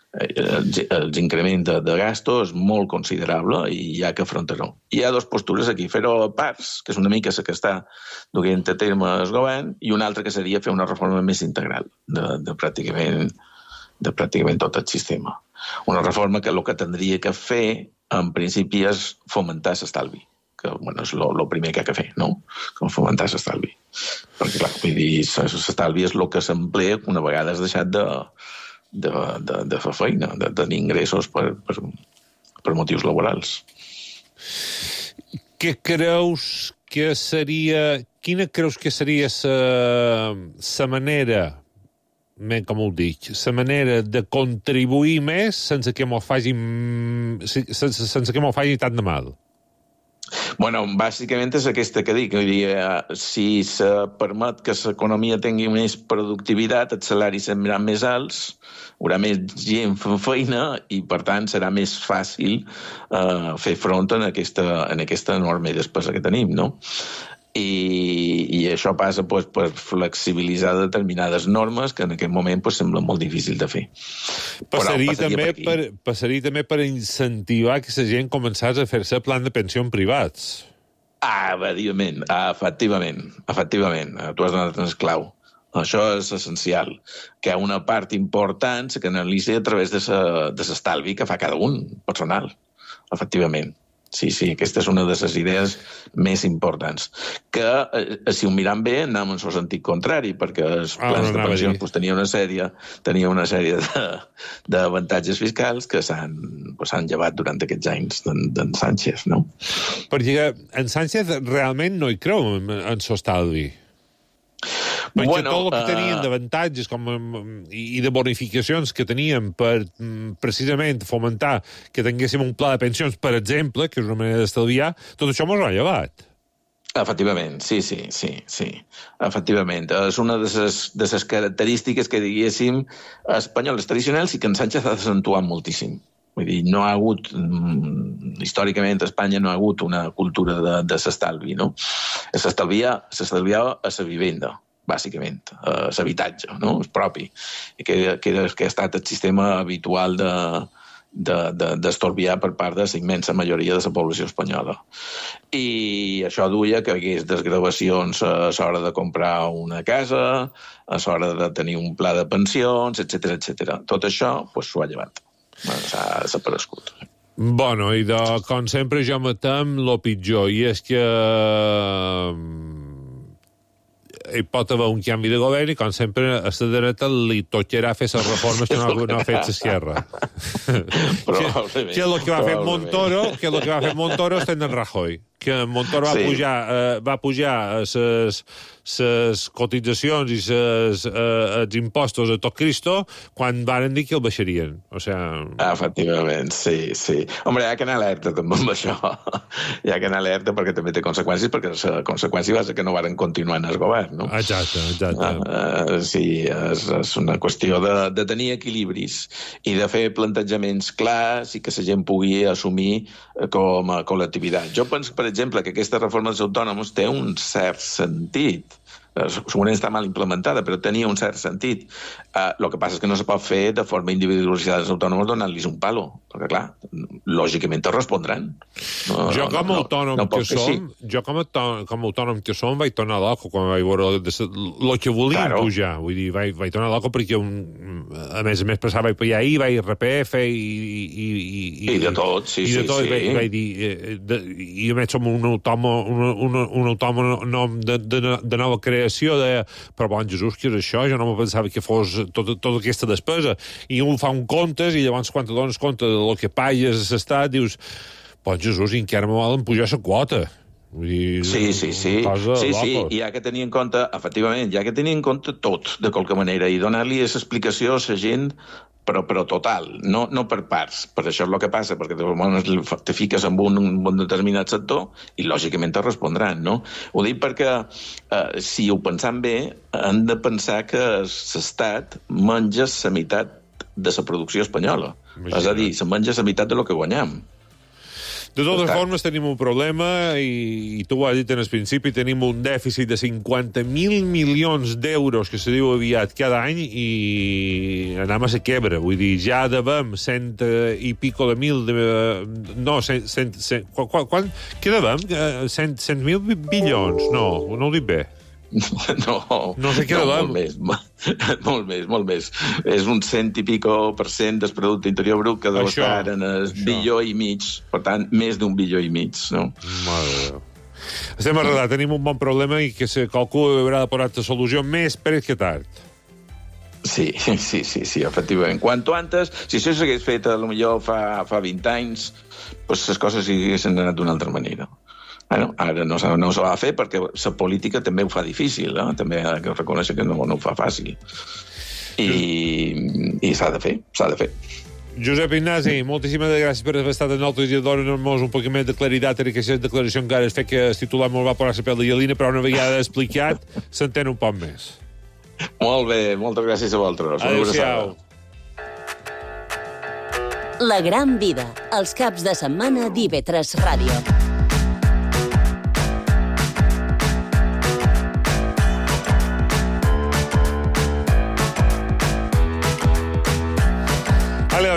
Speaker 13: L'increment de gasto és molt considerable i hi ha que afrontar-ho. Hi ha dues postures aquí, fer-ho a parts, que és una mica la que està duent a terme el govern, i una altra que seria fer una reforma més integral de pràcticament tot el sistema. Una reforma que el que tindria que fer, en principi, és fomentar l'estalvi, que és el primer que ha de fer, no? Com fomentar l'estalvi. Perquè, clar, vull dir, l'estalvi és el que s'emplea una vegada has deixat de fer feina, de tenir ingressos per motius laborals.
Speaker 4: Quina creus que seria la manera, com ho dic, la manera de contribuir més sense que m'ho faci tant de mal?
Speaker 13: Bueno, bàsicament és aquesta que dic. Si se permet que l'economia tingui més productivitat, els salaris seran més alts, hi haurà més gent fent feina i, per tant, serà més fàcil fer front en aquesta enorme despesa que tenim, no? I això passa per flexibilitzar determinades normes que en aquest moment sembla molt difícil de fer.
Speaker 4: Passaria també per incentivar que la gent començés a fer-se plan de pensió en privats.
Speaker 13: Efectivament. Tu has donat un clau. Això és essencial, que una part important se canalitzi a través de l'estalvi que fa cada un, personal. Efectivament. Sí, aquesta és una de les idees més importants. Que, si ho miram bé, anem en el sentit contrari, perquè els plans de pensions tenia una sèrie d'avantatges fiscals que s'han llevat durant aquests anys d'en Sánchez, no?
Speaker 4: Perquè en Sánchez realment no hi creu en l'estalvi. Perquè tot el que tenien d'avantatges i de bonificacions que teníem per precisament fomentar que tinguéssim un pla de pensions, per exemple, que és una manera d'estalviar, tot això mos ho ha llevat.
Speaker 13: Efectivament, sí. Efectivament. És una de les característiques que, diguéssim, espanyoles tradicionals i que en Sánchez ha d'accentuar moltíssim. Vull dir, no ha hagut, històricament a Espanya no ha hagut una cultura de l'estalvi, no? S'estalviava a la vivenda, bàsicament, l'habitatge, no? És propi, que ha estat el sistema habitual d'estalviar per part de la immensa majoria de la població espanyola. I això duia que hi hagués desgravacions a l'hora de comprar una casa, a l'hora de tenir un pla de pensions, etc. Tot això s'ho ha llevat. S'ha desaparegut.
Speaker 4: Bueno, i com sempre jo matem lo pitjor, i és que hi pot haver un canvi de govern i, com sempre, a la dreta li tocarà fer les reformes que no ha fet l'esquerra.
Speaker 13: Probablement.
Speaker 4: Que és el que va fer Montoro, estant en Rajoy. Que Montoro va pujar les cotitzacions i els impostos a tot Cristo quan varen dir que el baixarien. O sea...
Speaker 13: Efectivament, sí. Home, hi ha que anar alerta també amb això. Hi ha que anar alerta perquè també té conseqüències, perquè la conseqüència va ser que no varen continuar en el govern, no?
Speaker 4: Exacte.
Speaker 13: Sí, és una qüestió de tenir equilibris i de fer plantejaments clars i que la gent pugui assumir com a col·lectivitat. Jo penso, per exemple, que aquesta reforma dels autònoms té un cert sentit. Segurament està mal implementada, però tenia un cert sentit. El que passa és que no se pot fer de forma individualitzada als autònoms donant-los un palo, perquè, clar, lògicament te respondran.
Speaker 4: Jo com a autònom que som vaig tornar loco quan vaig veure el que volien pujar. Vull dir, vaig tornar loco perquè a més passava per allà vaig RPF i
Speaker 13: de tot, sí.
Speaker 4: I de tot, vaig dir, i a més som un autònom de nova creació, però bon Jesús, què és això? Jo no me pensava que fos tota aquesta despesa. I un fa un comptes i llavors quan te dones compte del que pagues a l'estat dius, bon Jesús, i encara me volen pujar la quota. Vull dir,
Speaker 13: sí, i hi ha que tenir en compte, efectivament, tot, de qualque manera, i donar-li aquesta explicació a la gent però total, no per parts. Per això és el que passa, perquè te fiques en un determinat sector i lògicament te respondran, no? Ho dic perquè, si ho pensam bé, han de pensar que l'Estat menja la meitat de la producció espanyola. És a dir, se menja la meitat de lo que guanyam.
Speaker 4: De totes formes, tenim un problema, i tu ho has dit en el principi, tenim un dèficit de 50.000 milions d'euros, que se diu aviat cada any, i anem a la quebra. Vull dir, ja devem 100 i pico de mil... Què devem? 100.000 bilions? No ho dic bé.
Speaker 13: No
Speaker 4: sé què devem.
Speaker 13: Molt més. És un 100 i pico % del producte interior brut que deu estar en el bilió i mig. Per tant, més d'un bilió i mig, no?
Speaker 4: Mare de Déu. Estem arreglat, tenim un bon problema i que qualcú haurà de posar la solució més pres que tard.
Speaker 13: Sí, efectivament. Quanto antes, si això s'hagués fet potser fa 20 anys, les coses haguessin anat d'una altra manera. Bueno, ara no se va fer perquè la política també ho fa difícil, també ha de reconèixer que no ho fa fàcil. I s'ha de fer.
Speaker 4: Josep Ignasi, moltíssimes gràcies per haver estat en nosaltres i donar-nos un poc més de claritat en aquesta declaració encara es fet que el titular molt va posar la pell de gallina, però una vegada explicat s'entén un poc més.
Speaker 13: Molt bé, moltes gràcies a vosaltres.
Speaker 4: Adéu-siau.
Speaker 3: La gran vida, els caps de setmana d'IV3 Ràdio.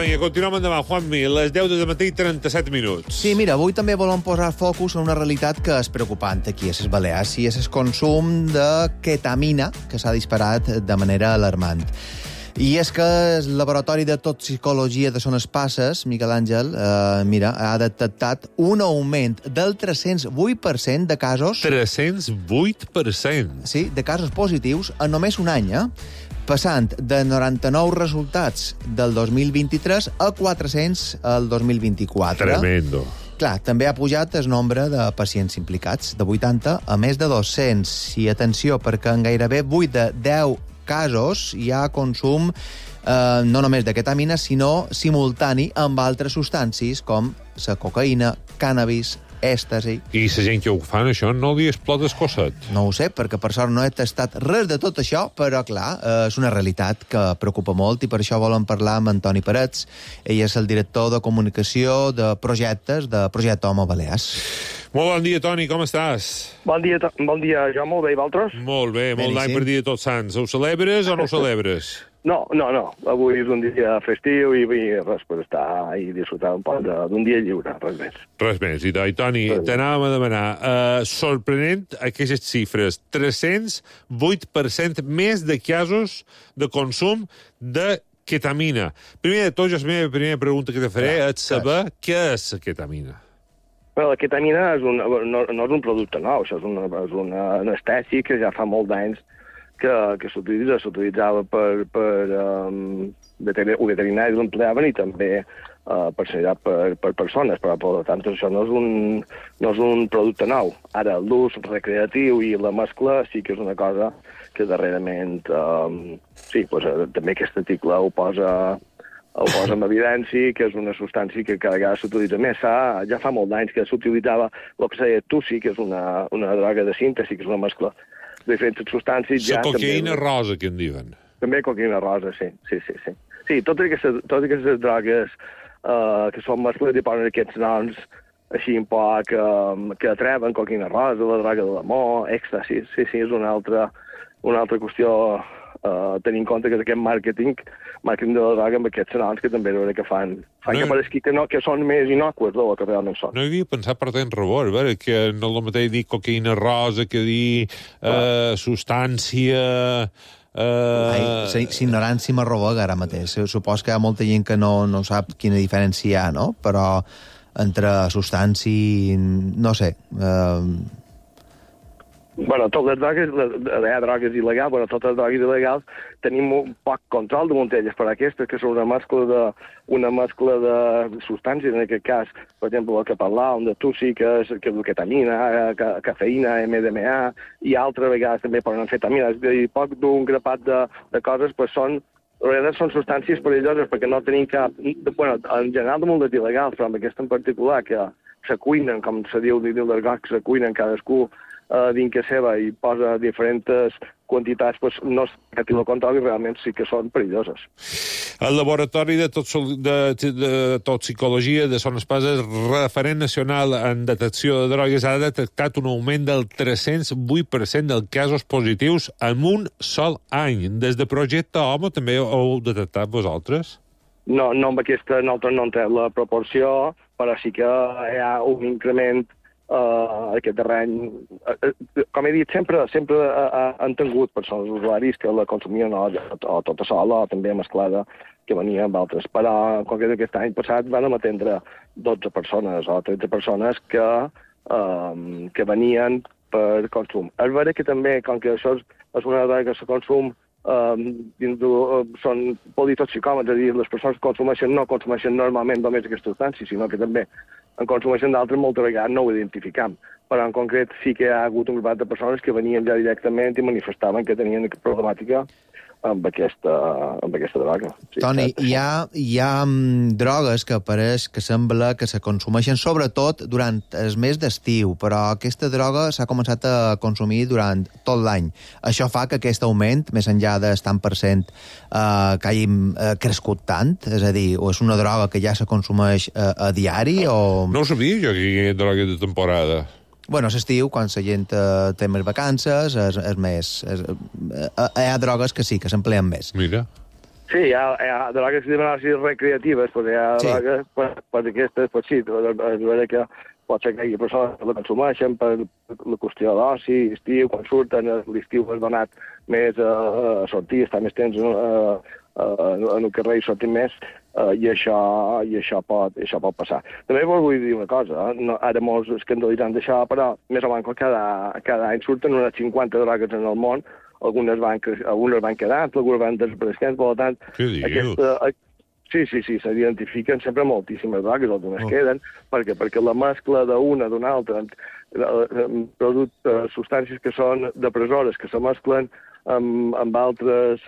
Speaker 4: Vinga, continuem endavant. Juanmi, les 10 del matí, 37 minuts.
Speaker 5: Sí, mira, avui també volem posar focus en una realitat que és preocupant aquí a les Balears, i és el consum de ketamina, que s'ha disparat de manera alarmant. I és que el Laboratori de Toxicologia de Son Espasses, Miquel Àngel, ha detectat un augment del 308% de casos...
Speaker 4: 308%?
Speaker 5: Sí, de casos positius en només un any, passant de 99 resultats del 2023 a 400 el 2024.
Speaker 4: Tremendo.
Speaker 5: Clar, també ha pujat el nombre de pacients implicats, de 80 a més de 200. I atenció, perquè en gairebé 8 de 10 casos hi ha consum no només de ketamina, sinó simultani amb altres substàncies com la cocaïna, cànnabis, èxtasi.
Speaker 4: I la gent que ho fan, això, no li explota el cosset?
Speaker 5: No ho sé, perquè per sort no he tastat res de tot això, però, clar, és una realitat que preocupa molt i per això volem parlar amb Antoni Parets. Ell és el director de comunicació de projectes de Projecte Home Balears.
Speaker 4: Molt bon dia, Toni, com estàs?
Speaker 14: Bon dia, jo molt bé, i vosaltres?
Speaker 4: Molt bé, molt d'any per dia de Tots Sants. Ho celebres o no ho celebres?
Speaker 14: No. Avui és un dia festiu i res per estar i disfrutar un poc d'un dia lliure, res més.
Speaker 4: Res més. I Toni, t'anàvem a demanar, sorprenent aquestes xifres, 308% més de casos de consum de ketamina. Primer de tot, la meva primera pregunta que te faré és saber què és la ketamina.
Speaker 14: Bé, la ketamina no és un producte nou, això és un anestèsic que ja fa molt d'anys que s'utilitzava per veterinaris l'empleaven i també per sanitat per persones, però per tant això no és un producte nou. Ara l'ús recreatiu i la mescla sí que és una cosa que darrerament també aquest article ho posa en evidència, que és una substància que cada vegada s'utilitza més. Ja fa molt d'anys que s'utilitzava el que s'ha dit TUSI, que és una droga de síntesi, que és una mescla de diferents substàncies.
Speaker 4: La cocaïna rosa, que en diuen.
Speaker 14: També cocaïna rosa, sí. Sí, totes aquestes drogues que són mescles i posen aquests noms així un poc que atreven, cocaïna rosa, la droga de l'amor, èxtasis, sí, és una altra qüestió tenint en compte que aquest màrqueting de la droga amb aquests noms que també veure que fan que pareixi que són més innocues del que realment són.
Speaker 4: No havia pensat per tant rebord, que no és el mateix dir cocaïna rosa que dir substància...
Speaker 5: L'ignorància m'arrobaga ara mateix. Supos que hi ha molta gent que no sap quina diferència hi ha, no? Però entre substància... no sé...
Speaker 14: Bueno, totes les drogues, hi ha drogues il·legals, totes les drogues il·legals tenim un poc control de elles, però aquestes que són una mescla de substàncies, en aquest cas, per exemple, el que parlàvem de TUSI, que és ketamina, cafeïna, MDMA, i altres vegades també poden amfetamina, és a dir, poc d'un grapat de coses, doncs són substàncies perilloses perquè no tenim cap... Bueno, en general de moltes il·legals, però amb aquesta en particular, que se cuinen, com se diu l'argot, que se cuinen cadascú dins que seva i posa diferents quantitats, doncs no és que lo controli, realment sí que són perilloses.
Speaker 4: El Laboratori de Toxicologia de Son Espasa, referent nacional en detecció de drogues, ha detectat un augment del 308% dels casos positius en un sol any. Des de Projecte Homo també ho heu detectat vosaltres?
Speaker 14: No, amb aquesta nosaltres no entrem la proporció, però sí que hi ha un increment aquest darrer any. Com he dit, sempre han tingut persones usuaris que la consumien o tota sola o també mesclada, que venia amb altres. Però, com que aquest any passat, van atendre 12 persones o 13 persones que venien per consum. És vera que també, com que això és una droga que se consum són politoxicòmens, és a dir, les persones que no consumeixen normalment només aquesta substància, sinó que també en consumeixen d'altres, moltes vegades no ho identificam. Però en concret sí que hi ha hagut un grup de persones que venien ja directament i manifestaven que tenien problemàtica amb aquesta droga. Sí,
Speaker 5: Toni, hi ha drogues que pareix que sembla que se consumeixen sobretot durant el mes d'estiu, però aquesta droga s'ha començat a consumir durant tot l'any. Això fa que aquest augment, més enllà del tant per cent, que hagin crescut tant? És a dir, o és una droga que ja se consumeix a diari o...
Speaker 4: No ho sabia jo que hi ha droga de temporada.
Speaker 5: Bueno, a l'estiu, quan la gent té més vacances, és més... hi ha drogues que sí, que s'empleen més.
Speaker 4: Mira.
Speaker 14: Sí, hi ha drogues recreatives, però hi ha drogues per aquestes, doncs sí, és vera que pot ser que hi ha persones que la consumeixen per la qüestió d'oci, estiu, quan surten, l'estiu és donat més a sortir, estar més temps en el carrer i sortir més, i això pot passar. També vull dir una cosa, ara molts escandalitzant d'això, però més o menys cada any surten unes 50 drogues en el món, algunes van quedant, algunes van desapareixent, per tant...
Speaker 4: Què dius?
Speaker 14: Sí, s'identifiquen sempre moltíssimes drogues, algunes queden, perquè la mescla d'una altra, substàncies que són depressores, que se mesclen amb altres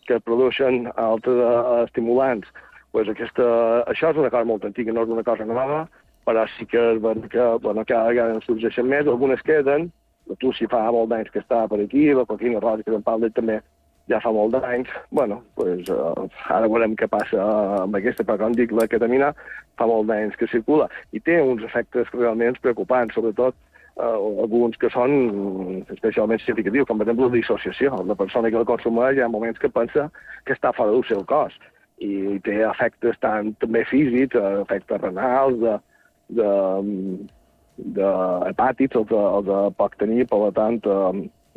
Speaker 14: que produeixen altres estimulants. Això és una cosa molt antiga, no és una cosa nova, però sí que cada vegada en sorgeixen més, algunes queden, la TUSI fa molt d'anys que està per aquí, la cocaïna rosa que en parla també ja fa molt d'anys. Ara veurem què passa amb aquesta, però com dic, la ketamina fa molt d'anys que circula i té uns efectes realment preocupants, sobretot alguns que són especialment significatius, com per exemple la dissociació. La persona que la consumeix hi ha moments que pensa que està fora del seu cos i té efectes tant també físics, efectes renals, hepàtics, els de pot tenir, per tant,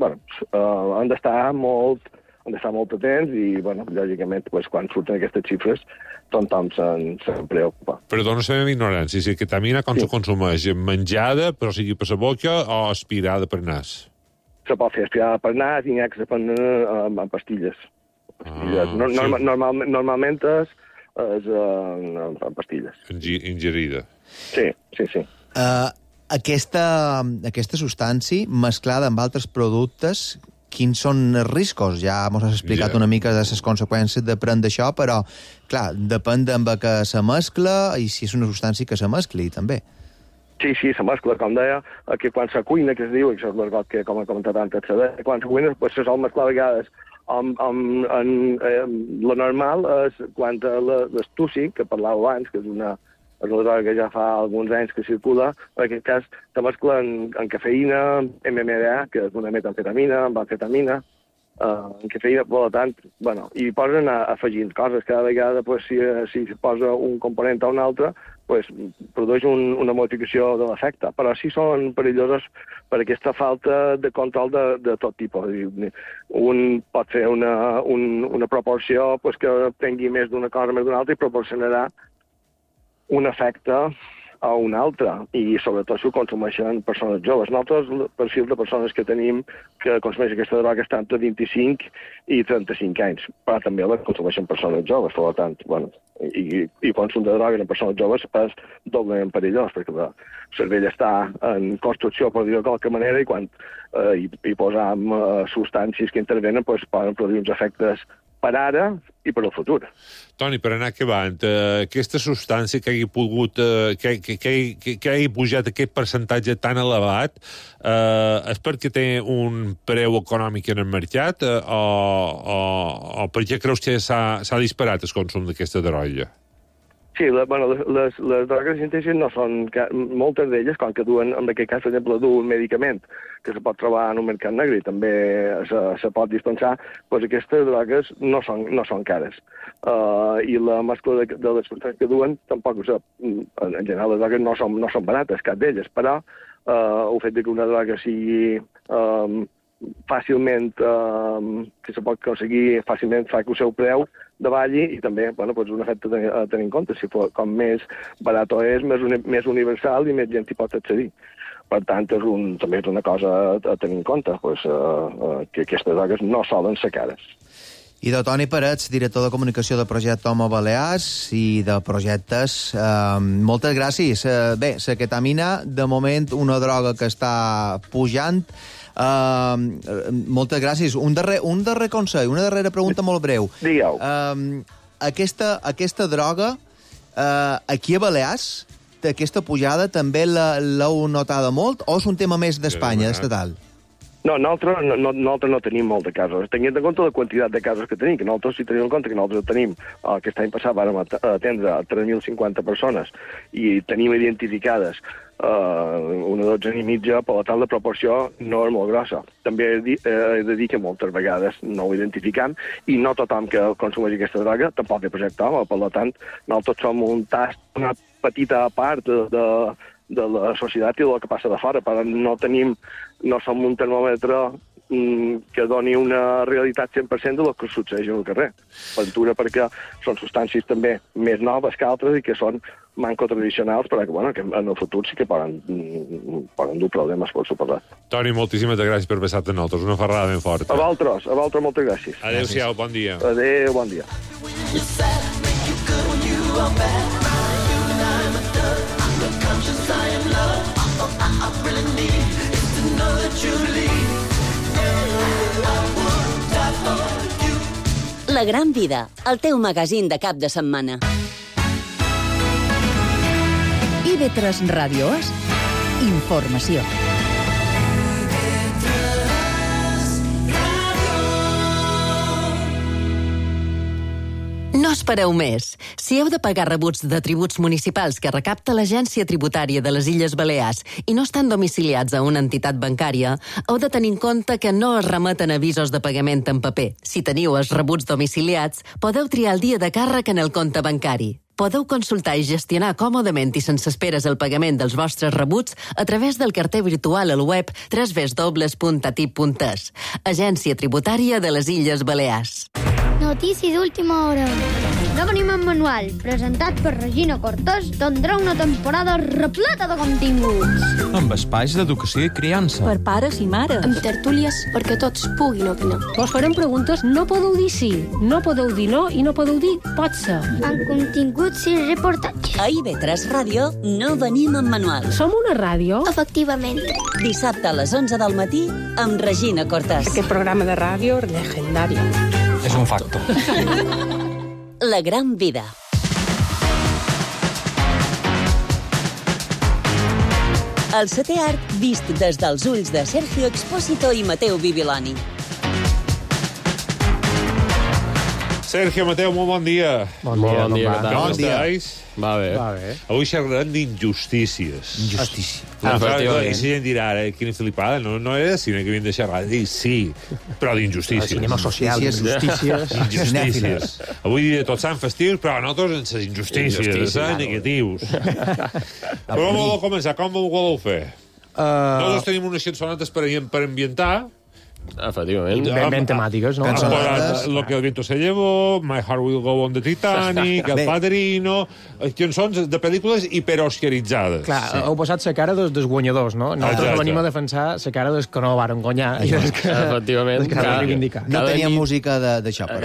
Speaker 14: han d'estar molt hem d'estar molt atents i, bueno, lògicament, pues, quan surten aquestes xifres, tothom se'n preocupa.
Speaker 4: Perdona la meva ignorància, si la ketamina com se consumeix? Menjada, però sigui per la boca, o aspirada per nas?
Speaker 14: Se pot fer aspirada per nas i n'hi ha que se prenen en pastilles. Normalment és en pastilles.
Speaker 4: Ingerida.
Speaker 14: Sí.
Speaker 5: Aquesta substància, mesclada amb altres productes, quins són els riscos? Ja ens has explicat una mica de les conseqüències de prendre això, però, clar, depèn amb què se mescla i si és una substància que se mescli, també.
Speaker 14: Sí, se mescla, com deia, que quan se cuina, que es diu, això és l'argot que, com he comentat antes, quan se cuina, pues, se sol mesclar a vegades lo normal és quan l'estússic, que parlàveu abans, que és una droga que ja fa alguns anys que circula, en aquest cas se mescla en cafeïna, MMDA, que és una metamfetamina, amb amfetamina, en cafeïna, per tant, bueno, i posen afegint coses. Cada vegada, pues, si se posa un component o un altre, pues, produeix una modificació de l'efecte. Però sí són perillosos per aquesta falta de control de tot tipus. Un pot fer una proporció pues, que prengui més d'una cosa més d'una altra i proporcionarà un efecte a un altre, i sobretot si ho consumeixen persones joves. Nosaltres, el perfil de persones que tenim que consumeixen aquesta droga està entre 25 i 35 anys, però també la consumeixen persones joves, per tant, bueno, i consum de drogues en persones joves és doblement perillós, perquè el cervell està en construcció, per dir-ho de qualque manera, i quan hi posam substàncies que intervenen, pues, poden produir uns efectes per ara i per al futur.
Speaker 4: Toni, per anar acabant, aquesta substància que hagi pogut, que hagi pujat aquest percentatge tan elevat, és perquè té un preu econòmic en el mercat o per què creus que s'ha disparat el consum d'aquesta droga?
Speaker 14: Sí, les drogues sintètiques no són... Moltes d'elles, com que duen, en aquest cas, per exemple, duen un medicament que se pot trobar en un mercat negre i també se pot dispensar, doncs aquestes drogues no són cares. I la mescla de les substàncies que duen, tampoc ho sap. En general, les drogues no són barates, cap d'elles, però el fet que una droga sigui fàcilment, que se pot aconseguir fàcilment, fa que el seu preu davalli i també, bueno, pues un efecte a tenir en compte. Si com més barat és, més universal i més gent hi pot accedir. Per tant, també és una cosa a tenir en compte, pues, que aquestes drogues no solen ser cares.
Speaker 5: I de Toni Parets, director de comunicació del projecte Homo Balears i de projectes. Moltes gràcies. Bé, la ketamina, de moment, una droga que està pujant. Moltes gràcies. Un darrer consell, una darrera pregunta molt breu.
Speaker 14: Digueu.
Speaker 5: Aquesta droga, aquí a Balears, aquesta pujada també l'heu notada molt o és un tema més d'Espanya, estatal?
Speaker 14: No, nosaltres no tenim molt de casos. Tenint en compte la quantitat de casos que tenim, que nosaltres sí tenim en compte que nosaltres tenim, aquest any passat vam atendre 3.050 persones i tenim identificades una dotzena i mitja, per tant la proporció no és molt grossa. També he de dir que moltes vegades no ho identificam i no tothom que consumeix aquesta droga tampoc té projecte home, per tant nosaltres som un tast, una petita part de la societat i del que passa de fora, però no som un termòmetre que doni una realitat 100% del que succeeix al carrer. Ventura perquè són substàncies també més noves que altres i que són manco tradicionals, però que en el futur sí que poden dur problemes, per suposat.
Speaker 4: Toni, moltíssimes gràcies per passar-te a nosaltres. Una ferrada ben forta.
Speaker 14: A vosaltres moltes gràcies.
Speaker 4: Adéu-siau, bon dia.
Speaker 14: Adéu, bon dia.
Speaker 3: La Gran Vida, el teu magazín de cap de setmana.
Speaker 2: IB3 Ràdio és informació.
Speaker 15: No espereu més. Si heu de pagar rebuts de tributs municipals que recapta l'Agència Tributària de les Illes Balears i no estan domiciliats a una entitat bancària, heu de tenir en compte que no es remeten avisos de pagament en paper. Si teniu els rebuts domiciliats, podeu triar el dia de càrrec en el compte bancari. Podeu consultar i gestionar còmodament i sense esperes el pagament dels vostres rebuts a través del carter virtual al web www.atip.es. Agència Tributària de les Illes Balears.
Speaker 16: Notícia d'última hora. No venim en manual, presentat per Regina Cortés, tindrà una temporada repleta de continguts.
Speaker 17: Amb espais d'educació i criança.
Speaker 18: Per pares i mares.
Speaker 19: Amb tertúlies perquè tots puguin opinar.
Speaker 18: Vos farem preguntes, no podeu dir sí, no podeu dir no i no podeu dir pot ser.
Speaker 16: Amb continguts i reportatges.
Speaker 3: A IB3 Ràdio no venim en manual.
Speaker 18: Som una ràdio?
Speaker 16: Efectivament.
Speaker 3: Dissabte a les 11 del matí amb Regina Cortés.
Speaker 18: Aquest programa de ràdio legendari.
Speaker 17: És un facto.
Speaker 3: La gran vida. El setè art vist des dels ulls de Sergio Expósito i Mateu Bibiloni.
Speaker 4: Sergio, Mateu, molt bon dia.
Speaker 20: Bon dia, què tal?
Speaker 4: Com estàs?
Speaker 20: Va bé.
Speaker 4: Avui xerrarem d'injustícies.
Speaker 5: Injustícia.
Speaker 4: I la gent dirà, quina flipada, no era cine que havien de xerrar. Dic, sí, però d'injustícies.
Speaker 1: Cinema social, injustícies.
Speaker 4: Injustícies. Avui dia tots sant festius, però nosaltres en les injustícies, negatius. Però com voleu començar? Com ho voleu fer? Nosaltres tenim unes cançonetes per ambientar.
Speaker 20: Efectivament.
Speaker 1: Ben temàtiques, no?
Speaker 4: Lo que el viento se llevó, My Heart Will Go On de Titanic, El Padrino, cançons de pel·lícules hiperoscaritzades.
Speaker 1: Clar, heu posat la cara dels guanyadors, no? Nosaltres venim a defensar la cara dels que no varen guanyar.
Speaker 20: Efectivament.
Speaker 5: No tenia música d'això, però.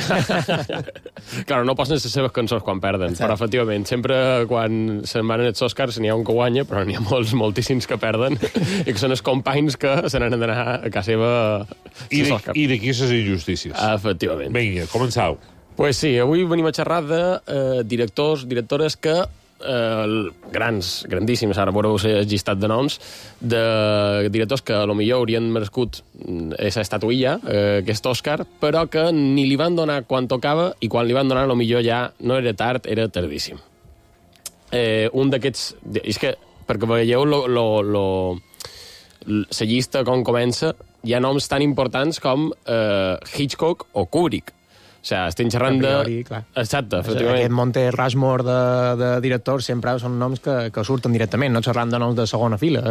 Speaker 20: Claro, no posen les seves cançons quan perden, però efectivament, sempre quan se'n van els Oscars n'hi ha un que guanya, però n'hi ha moltíssims que perden, i que són els companys que se n'han d'anar a casa seva.
Speaker 4: I d'aquí les injustícies.
Speaker 20: Efectivament.
Speaker 4: Vinga, començau.
Speaker 20: Pues sí, avui venim a xerrar de directors, directores que grandíssims, ara veureu el llistat de noms, de directors que potser haurien merescut aquesta estatuilla, aquest Òscar, però que ni li van donar quan tocava, i quan li van donar potser ja no era tard, era tardíssim. Un d'aquests... És que, perquè veieu la llista com comença, hi ha noms tan importants com Hitchcock o Kubrick. O sigui, estem xerrant de... Exacte, efectivament.
Speaker 1: Aquest Monte Rushmore de directors sempre són noms que surten directament, no xerrant de noms de segona fila.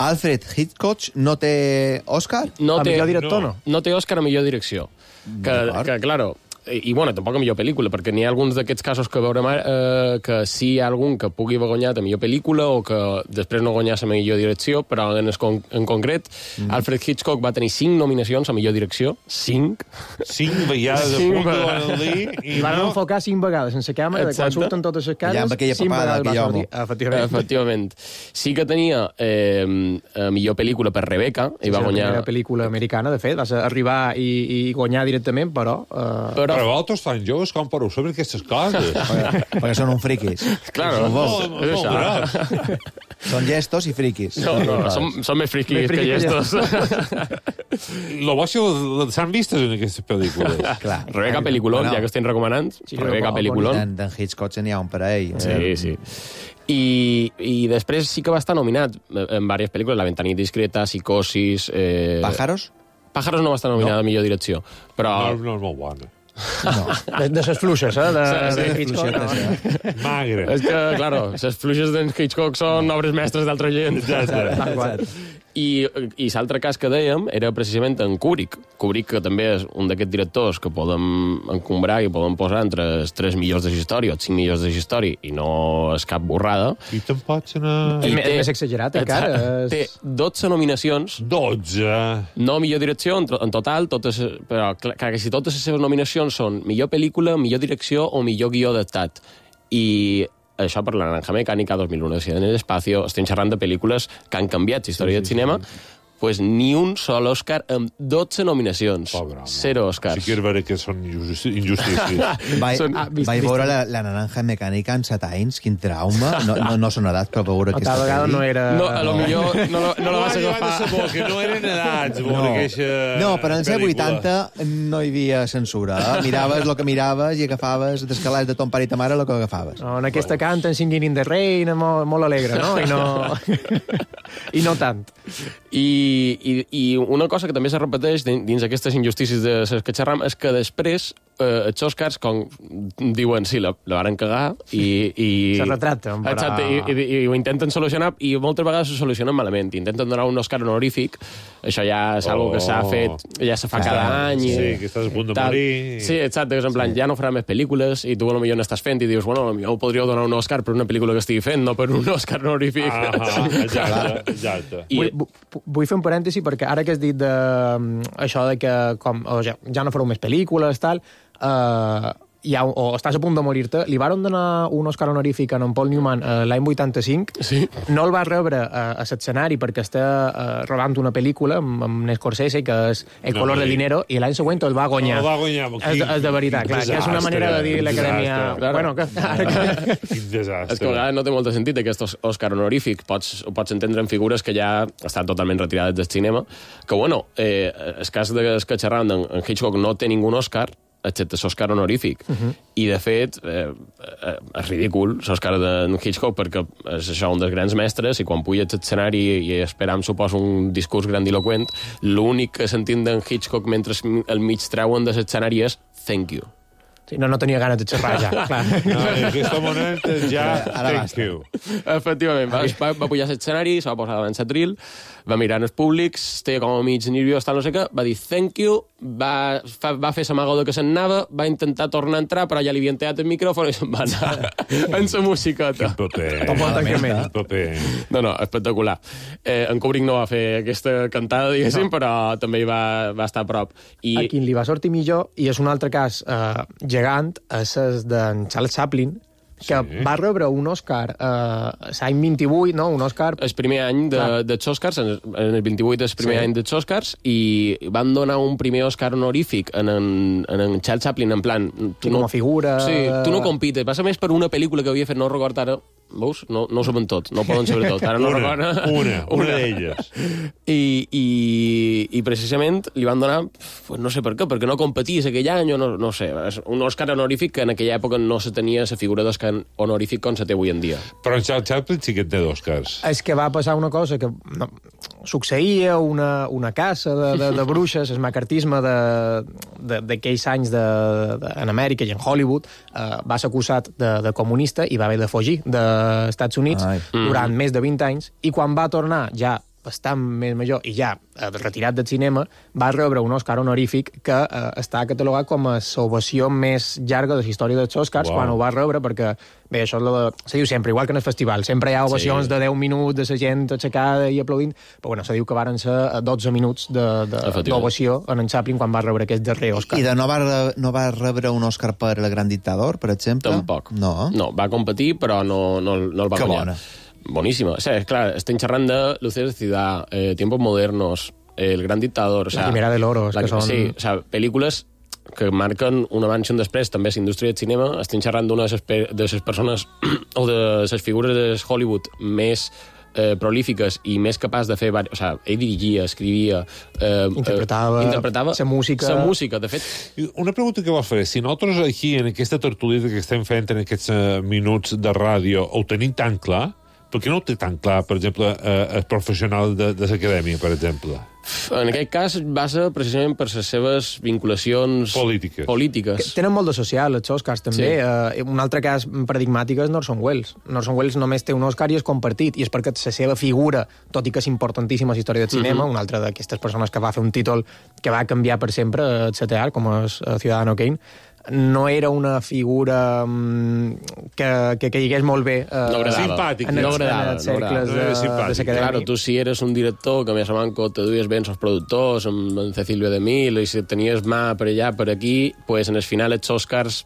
Speaker 5: Alfred Hitchcock no té Òscar?
Speaker 1: A millor director, no?
Speaker 20: No té Òscar a millor direcció. Que claro... I, bueno, tampoc a millor pel·lícula, perquè n'hi ha alguns d'aquests casos que veurem ara que sí hi ha algun que pugui haver guanyat a millor pel·lícula o que després no guanyés a millor direcció, però en concret Alfred Hitchcock va tenir 5 nominacions a millor direcció. 5
Speaker 4: vegades a punt de l'Analí.
Speaker 1: I van enfocar 5 vegades sense càmera, de quan surten totes les cares, 5 vegades va sortir.
Speaker 20: Efectivament. Sí que tenia millor pel·lícula per Rebecca, i va guanyar...
Speaker 1: La pel·lícula americana, de fet, va arribar i guanyar directament, però
Speaker 4: Però vosaltres tan joves, com podeu saber aquestes coses?
Speaker 5: Perquè són un friquis.
Speaker 20: Claro,
Speaker 4: és això.
Speaker 5: Són llestos i friquis.
Speaker 20: No, són més friquis que llestos.
Speaker 4: Lo bo s'han vistes en aquestes pel·lícules.
Speaker 20: Rebecca pel·lículon, ja que estem recomanant. Rebecca pel·lículon.
Speaker 5: D'en Hitchcock n'hi ha un per a ell.
Speaker 20: Sí. I després sí que va estar nominat en diverses pel·lícules, La ventana indiscreta, Psicosis...
Speaker 5: Pájaros?
Speaker 20: Pájaros no va estar nominada a millor direcció, però...
Speaker 4: No és molt bona.
Speaker 1: No. De ses fluixes, de Hitchcock.
Speaker 4: Magre.
Speaker 20: És que, claro, ses fluixes d'en Hitchcock són obres mestres d'altra gent. I l'altre cas que dèiem era precisament en Kubrick. Kubrick, que també és un d'aquests directors que podem encombrar i podem posar entre els 3 millors de la història o els 5 millors de la història, i no és cap borrada.
Speaker 4: I te'n pots anar...
Speaker 1: És més exagerat, encara.
Speaker 20: Té 12 nominacions.
Speaker 4: 12?
Speaker 20: No millor direcció, en total, però quasi totes les seves nominacions són millor pel·lícula, millor direcció o millor guió adaptat. I això per La Naranja Mecànica, 2001, en el espacio, estem xerrant de pel·lícules que han canviat la història del cinema, pues ni un sol Òscar amb 12 nominacions. 0 Òscars.
Speaker 4: Sí que és vera que són injustícies.
Speaker 5: Vaig veure la Naranja Mecànica en 7 anys, quin trauma. No són edats per veure aquesta
Speaker 1: pel·li. Tal vegada no era...
Speaker 20: No, a lo millor no la vas agafar.
Speaker 4: Que no eren edats.
Speaker 5: No, però en ser 80 no hi havia censura. Miraves el que miraves i agafaves d'escalars de ton pare i ta mare el que agafaves.
Speaker 1: No, en aquesta canten Singing in the Rain, molt alegre, no? I no tant.
Speaker 20: I una cosa que també se repeteix dins aquestes injustícies de les que xerram és que després els Oscars, com diuen, sí, la varen cagar i
Speaker 21: se retracten, però...
Speaker 20: Exacte, i ho intenten solucionar i moltes vegades ho solucionen malament. Intenten donar un Oscar honorífic, això ja és algo que s'ha fet, ja se fa cada any.
Speaker 4: Sí, que estàs a punt de morir.
Speaker 20: Sí, exacte, que és en plan, ja no farà més pel·lícules i tu potser n'estàs fent i dius, bueno, potser podríeu donar un Oscar per una pel·lícula que estigui fent, no per un Oscar honorífic.
Speaker 4: Exacte.
Speaker 21: Vull fer un parèntesi perquè ara que has dit això de que ja no fareu més pel·lícules, tal, o estàs a punt de morir-te, li varen donar un Oscar honorífic a en Paul Newman l'any 85.
Speaker 20: Sí.
Speaker 21: No el va rebre a l'escenari perquè està rodant una pel·lícula amb Scorsese, que és El color del dinero, i l'any següent el va guanyar.
Speaker 4: El va guanyar.
Speaker 21: És de veritat, clar, que és una manera de dir l'Acadèmia... Bueno, que...
Speaker 4: Quin desastre.
Speaker 20: És que a vegades no té molt de sentit aquest Òscar honorífic. Ho pots entendre en figures que ja estan totalment retirades del cinema. Que, bueno, el cas que xerràvem en Hitchcock no té ningú Òscar, excepte l'Òscar honorífic. I, de fet, és ridícul l'Òscar de Hitchcock, perquè és això un dels grans mestres, i quan puja a l'escenari i esperam, suposo, un discurs grandiloquent, l'únic que sentim d'en Hitchcock mentre el mig treuen de l'escenari és "thank you".
Speaker 21: Sí, no tenia ganes de xerrar ja, clar.
Speaker 4: No, en aquest moment ja thank you.
Speaker 20: Efectivament, va pujar a l'escenari, se va posar davant l'atril, va mirar els públics, estava com a mig nerviós, tal, no sé què, va dir thank you, va fer l'amago que se'n anava, va intentar tornar a entrar, però ja li havien tallat el micròfon i se'n va anar en la musiqueta.
Speaker 4: Quin paper.
Speaker 20: No, espectacular. En Kubrick no va fer aquesta cantada, diguéssim, però també hi va estar a prop.
Speaker 21: A qui li va sortir millor, i és un altre cas gegant, és d'en Charles Chaplin, que va rebre un Òscar l'any 28, no? Un Òscar...
Speaker 20: El primer any dels Òscars, en el 28 és el primer any dels Òscars, i van donar un primer Òscar honorífic en Charles Chaplin, en plan...
Speaker 21: Com a figura...
Speaker 20: Sí, tu no compites, passa més per una pel·lícula que havia fet, no record ara... Veus? No ho saben tot, no poden saber tot. Ara no recordo...
Speaker 4: Una d'elles.
Speaker 20: I precisament li van donar, no sé per què, perquè no competís aquell any, o no sé, un Òscar honorífic que en aquella època no se tenia la figura d'Òscar honorífic com se té avui en dia.
Speaker 4: Però en Charles Chaplin sí que té d'Òscars.
Speaker 21: És que va passar una cosa que succeïa una caça de bruixes, el macartisme d'aquells anys en Amèrica i en Hollywood, va ser acusat de comunista i va haver de fugir dels Estats Units durant més de 20 anys, i quan va tornar ja bastant més major i ja retirat del cinema, va rebre un Òscar honorífic que està catalogat com a l'ovació més llarga de la història dels Òscars, quan ho va rebre, perquè, bé, això se diu sempre, igual que en el festival, sempre hi ha ovacions de 10 minuts de la gent aixecada i aplaudint, però bueno, se diu que varen ser 12 minuts d'ovació en Chaplin quan va rebre aquest darrer Òscar.
Speaker 5: I no va rebre un Òscar per El gran dictador, per exemple?
Speaker 20: Tampoc.
Speaker 5: No,
Speaker 20: va competir, però no el va guanyar. Que bona. Bonísima. O sea, clar, estem xerrant de Luces de Ciudad, Tiempos Modernos, El gran dictador...
Speaker 21: La Quimera de l'Oro, que són...
Speaker 20: Sí, o sea, pel·lícules que marquen un abans i un després, també a la indústria del cinema. Estem xerrant d'una de les persones o de les figures de Hollywood més prolífiques i més capaç de fer... O sea, ell dirigia, escrivia...
Speaker 21: interpretava la música.
Speaker 20: De fet...
Speaker 4: Una pregunta que vols fer. Si nosaltres aquí, en aquesta tertúlia que estem fent en aquests minuts de ràdio, ho tenim tan clar, per què no ho té tan clar, per exemple, el professional de l'acadèmia, per exemple?
Speaker 20: En aquest cas basa precisament per les seves vinculacions polítiques.
Speaker 21: Tenen molt de social, els Oscars, també. Sí. Un altre cas paradigmàtic és Orson Welles. Orson Welles només té un Òscar i és compartit, i és perquè la seva figura, tot i que és importantíssima a la història del cinema, una altra d'aquestes persones que va fer un títol que va canviar per sempre el CTR, com és Ciudadano Kane, no era una figura que caigués molt bé
Speaker 4: simpàtica,
Speaker 21: en els cercles de l'acadèmia.
Speaker 20: Claro, tu si eres un director que a més a manco te duies bé els productors, amb Cecilio de Mil, i si tenies mà per allà, per aquí, pues en el final els Oscars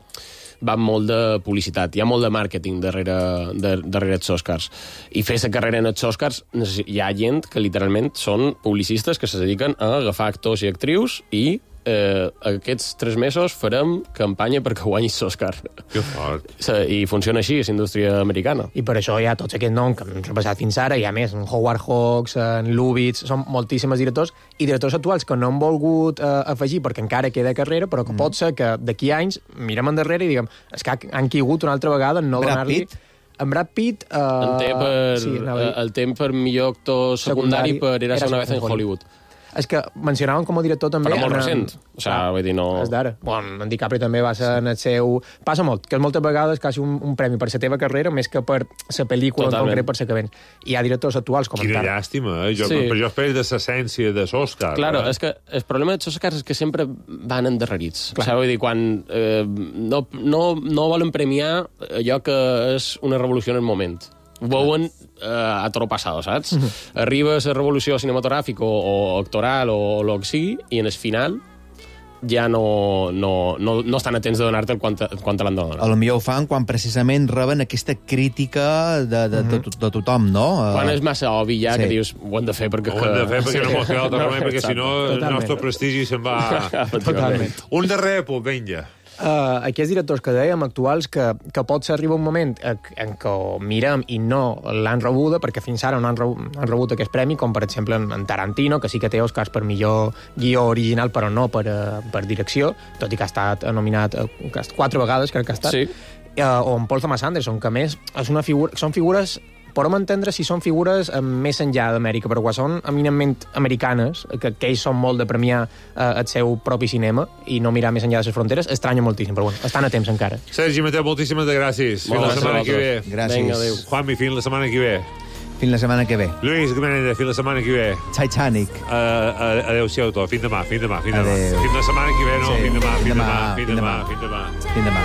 Speaker 20: van molt de publicitat, hi ha molt de màrqueting darrere els Oscars. I fer la carrera en els Oscars hi ha gent que literalment són publicistes que se dediquen a agafar actors i actrius i aquests 3 mesos farem campanya perquè guanyis l'Òscar.
Speaker 4: Que fort.
Speaker 20: I funciona així, és indústria americana.
Speaker 21: I per això hi ha tots aquests noms que hem repassat fins ara, hi ha més, en Howard Hawks, en Lubitsch, són moltíssims directors, i directors actuals que no han volgut afegir perquè encara queda carrera, però que pot ser que d'aquí anys mirem endarrere i diguem, és que han caigut una altra vegada en no donar-li... En Brad Pitt...
Speaker 20: el té per millor actor secundari per Érase una vez en Hollywood.
Speaker 21: És que mencionàvem com a director també...
Speaker 20: Però molt recent. O sigui, vull dir, no...
Speaker 21: És d'ara. Bueno, en DiCaprio també va ser en el seu... Passa molt, que moltes vegades quasi un premi per la teva carrera més que per la pel·lícula en concret per la que ven. Hi ha directors actuals com
Speaker 4: Quina llàstima, eh? Però jo espero de l'essència de l'Òscar.
Speaker 20: Claro, és que el problema dels Oscars és que sempre van endarrerits. O sigui, vull dir, quan no volen premiar allò que és una revolució en el moment. Ho veuen a toro passado, saps? Arriba la revolució cinematogràfica o actoral o el que sigui, i en el final ja no estan atents de donar-te quan te l'han de donar.
Speaker 5: A lo millor ho fan quan precisament reben aquesta crítica de tothom, no?
Speaker 20: Quan és massa obvi ja que dius ho hem de fer perquè...
Speaker 4: Ho hem de fer perquè no mos queda altre remei, perquè si no el nostre prestigi se'n va...
Speaker 21: Totalment.
Speaker 4: Un darrer punt, vinga.
Speaker 21: Aquests directors que dèiem actuals que pot ser arriba un moment en què ho mirem i no l'han rebuda, perquè fins ara no han rebut aquest premi, com per exemple en Tarantino, que sí que té Oscars per millor guió original, però no per direcció, tot i que ha estat nominat 4 vegades, crec que ha estat. Sí. O en Paul Thomas Anderson, que a més és una figura, són figures... Podem entendre si són figures més enllà d'Amèrica, però quan són eminentment americanes, que ells són molt de premiar el seu propi cinema i no mirar més enllà de les fronteres, estranya moltíssim, però bueno, estan a temps encara.
Speaker 4: Sergi Mateu, moltíssimes gràcies. Fins la setmana que ve.
Speaker 5: Gràcies.
Speaker 20: Vinga, adéu.
Speaker 4: Juanmi, fins la setmana que ve.
Speaker 5: Fins la setmana que ve.
Speaker 4: Lluís Menendez, fins la setmana que ve.
Speaker 5: Titanic.
Speaker 4: Adéu-siau tot. Fins demà.
Speaker 5: Adéu.
Speaker 4: Fins la setmana que ve, no?
Speaker 5: Sí.
Speaker 4: Fins demà.
Speaker 5: Fins demà.